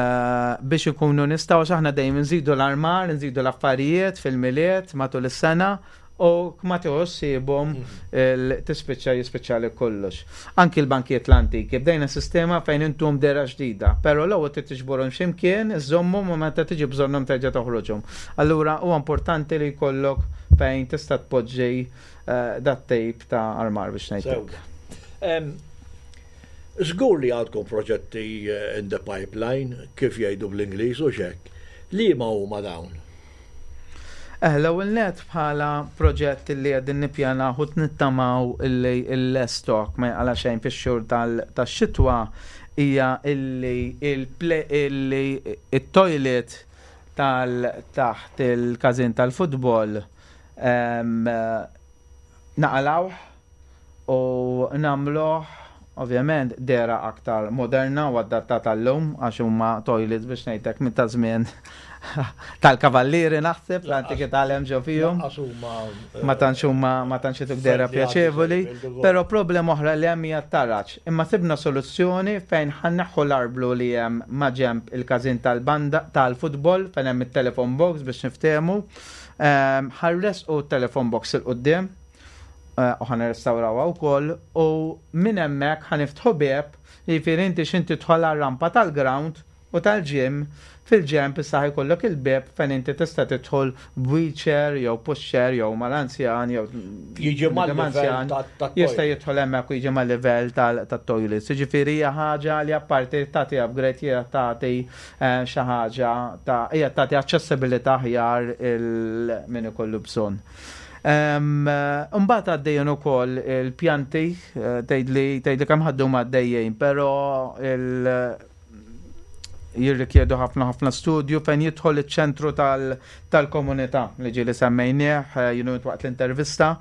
Speaker 3: biex ikunu nistgħu għax aħna dejjem nżidu l-armar, nżidu l-affarijiet fil-miliet matul is-sena u ma tieħux sibhom tispiċċa jispiċċa li kollox. Anki l-bankijiet l-antiki, bdejna sistema fejn intum dera ġdida, però l-ewwel trid tiġborhom x'imkien, iżżommhom u meta tiġi bżonnhom terġa' toħroġhom. Allura huwa importanti li jkollok fejn tista' tpoġġi eh, dat tip ta' armar biex ngħidlek.
Speaker 2: Żgur li għandkom proġetti eh, in the pipeline, kif jgħidu bl-Ingliż u xek. Liema huma dawn?
Speaker 3: Eh, l-ewwel nett bħala proġett li qegħdin nippjanaw u nittamaw illi l-stock ma jaqla xejn fix-xhur tax-xitwa hija illi illi it-toilet tal taħt il-każin tal-futbol naqalgħuh u nagħmluh. Ovvjament dehra aktar moderna u adattata għal-lum għax huma toilets biex ngħidlek minn ta' żmien tal-kavallieri naħseb l-antikità li hemm ġo fihom. Ma tantx huma ma tantx ituk dehra pjaċevoli, però problema oħra li hemm hija t-taraġ. Imma sibna soluzzjoni fejn ħa nneħħu l-arblu li hemm ma' ġenb il-każin tal-banda tal-futbol fejn hemm it-telephone box biex niftehmu. Ħa rressqu t-telephone box 'il quddiem. Eh, u ħa nirrestawrawha wkoll u minn hemmhekk ħa niftħu bieb, jiġifieri inti x'inti tidħol għar-rampa tal-ground u tal-gym, fil-ġenb issa ħa jkollok il-bieb fejn inti tista' tidħol b'wheelchair jew pushchair jew mal-anzjan jew
Speaker 2: Jiġi mal-livell
Speaker 3: jista' jidħol hemmhekk u jiġi mal-livell tat-toilets. Jiġifieri hija ħaġa li apparti tagħti upgrade hija tagħti eh, xi ħaġa ta' hija tagħti aċċessibilità aħjar il min ikollu bżonn. Imbagħad għaddejjin ukoll il-pjanti, eh, tgħidli tgħidli kemm ħaddu ma għaddejjin, però il jirrikjedu ħafna ħafna studju fejn jidħol iċ-ċentru tal-komunità li ġieli semmejnieh eh, jinu waqt l-intervista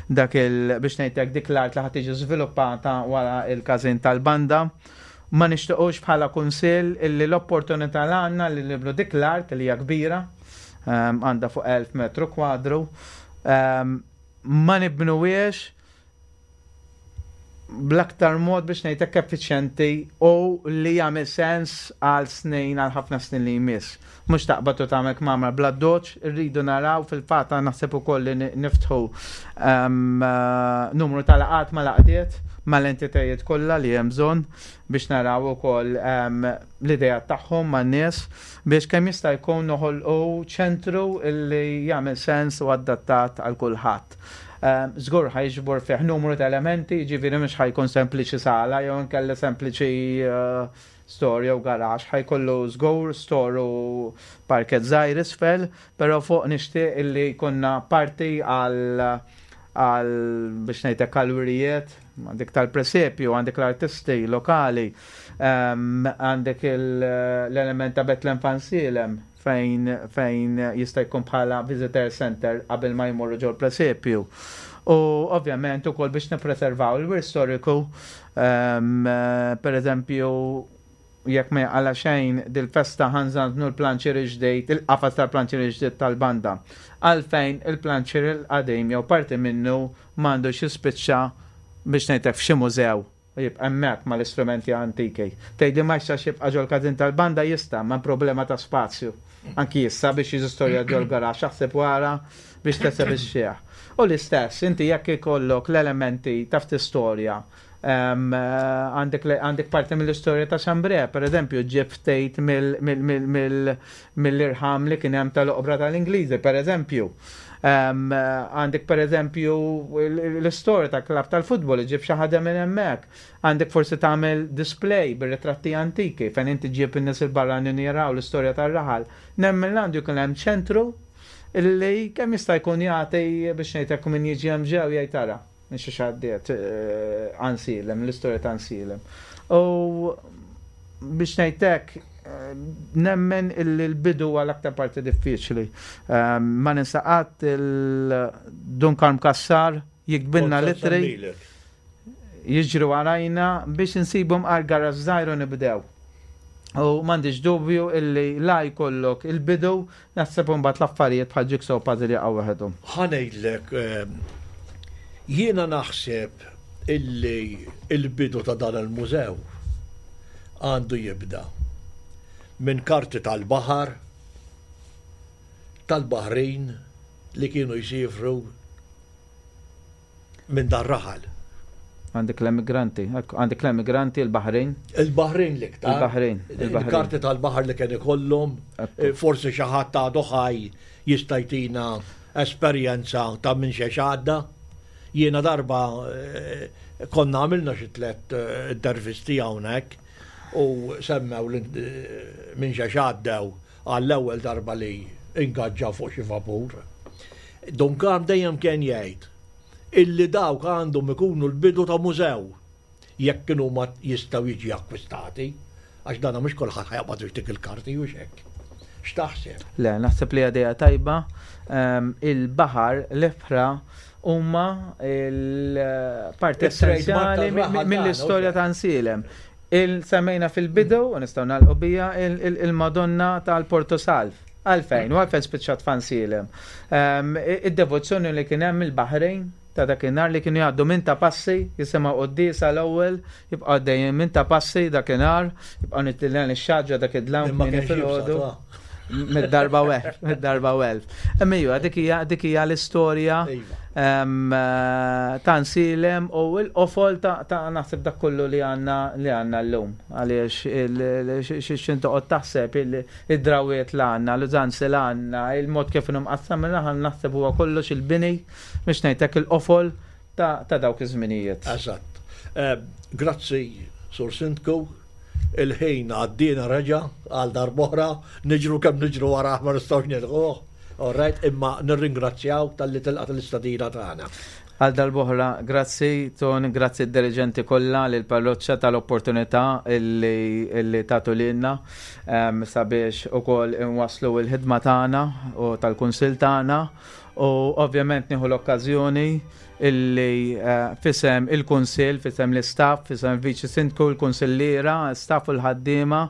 Speaker 3: dak il biex ngħidlek dik l-art li ħad tiġi żviluppata wara il-każin tal-banda. Ma nixtiequx bħala kunsill illi l-opportunità l għandna li nibnu dik l-art li hija kbira għandha fuq 1000 metru kwadru, ma nibnuwiex bl-aktar mod biex ngħidlek effiċjenti u li jagħmel sens għal snin għal ħafna snin li jmiss. Mhux taqbad u tagħmel kmamar bla doċ, irridu naraw fil-fatt naħseb ukoll li niftħu numru ta' laqgħat ma' laqdiet mal-entitajiet kollha li hemm bżonn biex naraw ukoll l-ideat tagħhom man-nies biex kemm jista' jkun noħolqu ċentru li jagħmel sens u adattat għal kulħadd. Ehm, żgur ħa jiġbor fih numru ta' elementi, jiġifieri mhux ħa jkun sempliċi sala jew inkella sempliċi eh, store jew garax, ħa jkollu żgur store u parket żgħir isfel, però fuq nixtieq illi jkollna parti għal għal biex ngħidlek għal wirijiet, għandek tal-presepju, għandek l-artisti lokali, ehm, għandek l-element ta' Betlem Fansilem fejn fejn jista' jkun bħala visitor center qabel ma jmorru ġol presepju. U ovvjament ukoll biex nippreservaw il-wirt storiku, ehm, per eżempju, Jekk ma jaqala' xejn, dil-festa ħa nżanżnu l-planċier il-ġdid, il-qafas tal-planċier il-ġdid tal-banda. Għalfejn il-planċier il-qadim jew parti minnu m'għandux jispiċċa, biex ngħid hekk, f'xi mużew u jibqa' hemmhekk mal-istrumenti antiki? Tgħidli ma jistax jibqa' ġol-każin tal-banda? Jista', imma hemm problema ta' spazju. Anki issa biex jiġi storjat ġol-garaxx, aħseb u ara biex tesebixxih. U l-istess, inti jekk ikollok l-elementi taf tistorja Għandek parti mill-istorja ta' Xambre, per eżempju, ġib ftit mill-irħam li kien hemm tal-oqbra tal-Ingliżi, per eżempju. Għandek per eżempju l-istorja ta' klab tal-futbol, ġib xi ħaġa minn hemmhekk. Għandek forsi tagħmel display bir-ritratti antiki fejn inti ġib in-nies il-barranin jaraw l-istorja tar-raħal. Nemmen għandu jkun hemm ċentru li kemm jista' jkun jagħti biex ngħidlek min jiġi hemm ġew jgħid ara. Minn xiex għaddiet Ansilem, l-istorja ta' Ansilem. U biex ngħidlek, nemmen illi l-bidu huwa l-aktar parti diffiċli. Ma ninsa qatt il-Dun Karm Cassar jiktbilna l-ittri, jiġri warajna biex insibu mqar garaxx żgħir u nibdew. U m'għandix dubju illi la jkollok il-bidu Naħseb imbagħad l-affarijiet bħal jigsaw puzzle jaqgħu waħedhom.
Speaker 2: Ħa ngħidlek, jiena naħseb illi l-bidu ta' dan il-mużew għandu jibda minn karti tal-baħar tal-baħrin li kienu jsiefru minn dar-raħal.
Speaker 3: Għandek l-emigranti, għandek l-emigranti, il-Baħrin.
Speaker 2: Il-Baħrin l-iktar.
Speaker 3: Il-Baħrin.
Speaker 2: Il-karti tal-baħar li kien ikollhom, eh, forsi xi ħadd għadu ħaj jista' jtina esperjenza ta' minn xiex għadda. Jiena darba eh, konna għamilna xi tliet eh, intervisti hawnhekk u semmew minn xiex għaddew għall-ewwel darba li ingaġġaw fuq xi vapur. Dun Karm dejjem kien jgħid illi dawk għandhom ikunu l-bidu ta' mużew jekk kienu ma jistgħu jiġi akkwistati, għax dana mhux kulħadd ħa jaqbad u jtik il-karti hux hekk. X'taħseb?
Speaker 3: Le, naħseb li idea tajba. Ehm, il-baħar, l-ibħra huma l-parti essenzjali mill-istorja ta' Nsielem. Il-semmejna fil-bidu, u nistgħu nagħlqu bija, il-Madonna tal-Porto Salv. Għalfejn, u għalfejn spiċċat f'Ansielem. Ehm, id-devozzjoni li kien hemm il-Baħrejn ta' dakinhar li kienu jgħaddu minn ta' passi, jisimgħu quddiesa l-ewwel, jibqgħu għaddejjin minn ta' passi dakinhar, jibqgħu nitilgħu ix-xaġra dak id-dlam kmieni filgħodu. Mid-darba welf, mid-darba welf. Imma iva, dik hija dik hija l-istorja iva. eh, ta' nsilem u l-qofol ta' naħseb dak kollu li għandna li għandna llum. Għaliex x'in toqgħod taħseb id-drawiet li għandna, l-użanzi li għandna, il-mod kif inhu mqassam il-raħal naħseb huwa kollox il-bini biex ngħidlek il-qofol ta' dawk iż-żminijiet.
Speaker 2: Eżatt. Eh, grazzi, Sur Sindku, il-ħin għaddina reġa għal darb'oħra, niġru kemm niġru wara ma nistgħux nilħuh. All right, imma nirringrazzjaw talli tilqa' l-istadina tagħna.
Speaker 3: Għal darb'oħra, grazzi Ton, grazzi d-diriġenti kollha lil parroċċa tal-opportunità illi tagħtu lilna ehm, sabiex ukoll inwasslu l-ħidma tagħna u tal-kunsill tagħna U ovvjament nieħu l-okkażjoni illi eh, fisem il-Kunsill, fisem l-istaff, fisem il-Viċi Sindku, il-Kunsilliera, staff u l-ħaddiema,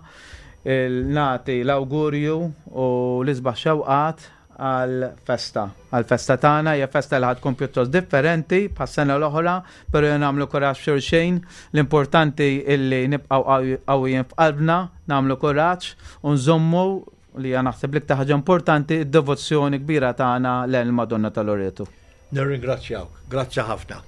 Speaker 3: nagħti l-awgurju u l-isbaħ xewqat għal-festa. Għal-festa tagħna hija festa li tkun pjuttost differenti bħas-sena l-oħra, però jien nagħmlu kuraġġ xulxin. L-importanti illi nibqgħu qawwijin f'qalbna, nagħmlu kuraġġ u nżommu li hija naħseb l-iktar ħaġa importanti, id-devozzjoni kbira tagħna lejn il-Madonna ta' Loreto.
Speaker 2: Nirringrazzjawk, grazzi ħafna.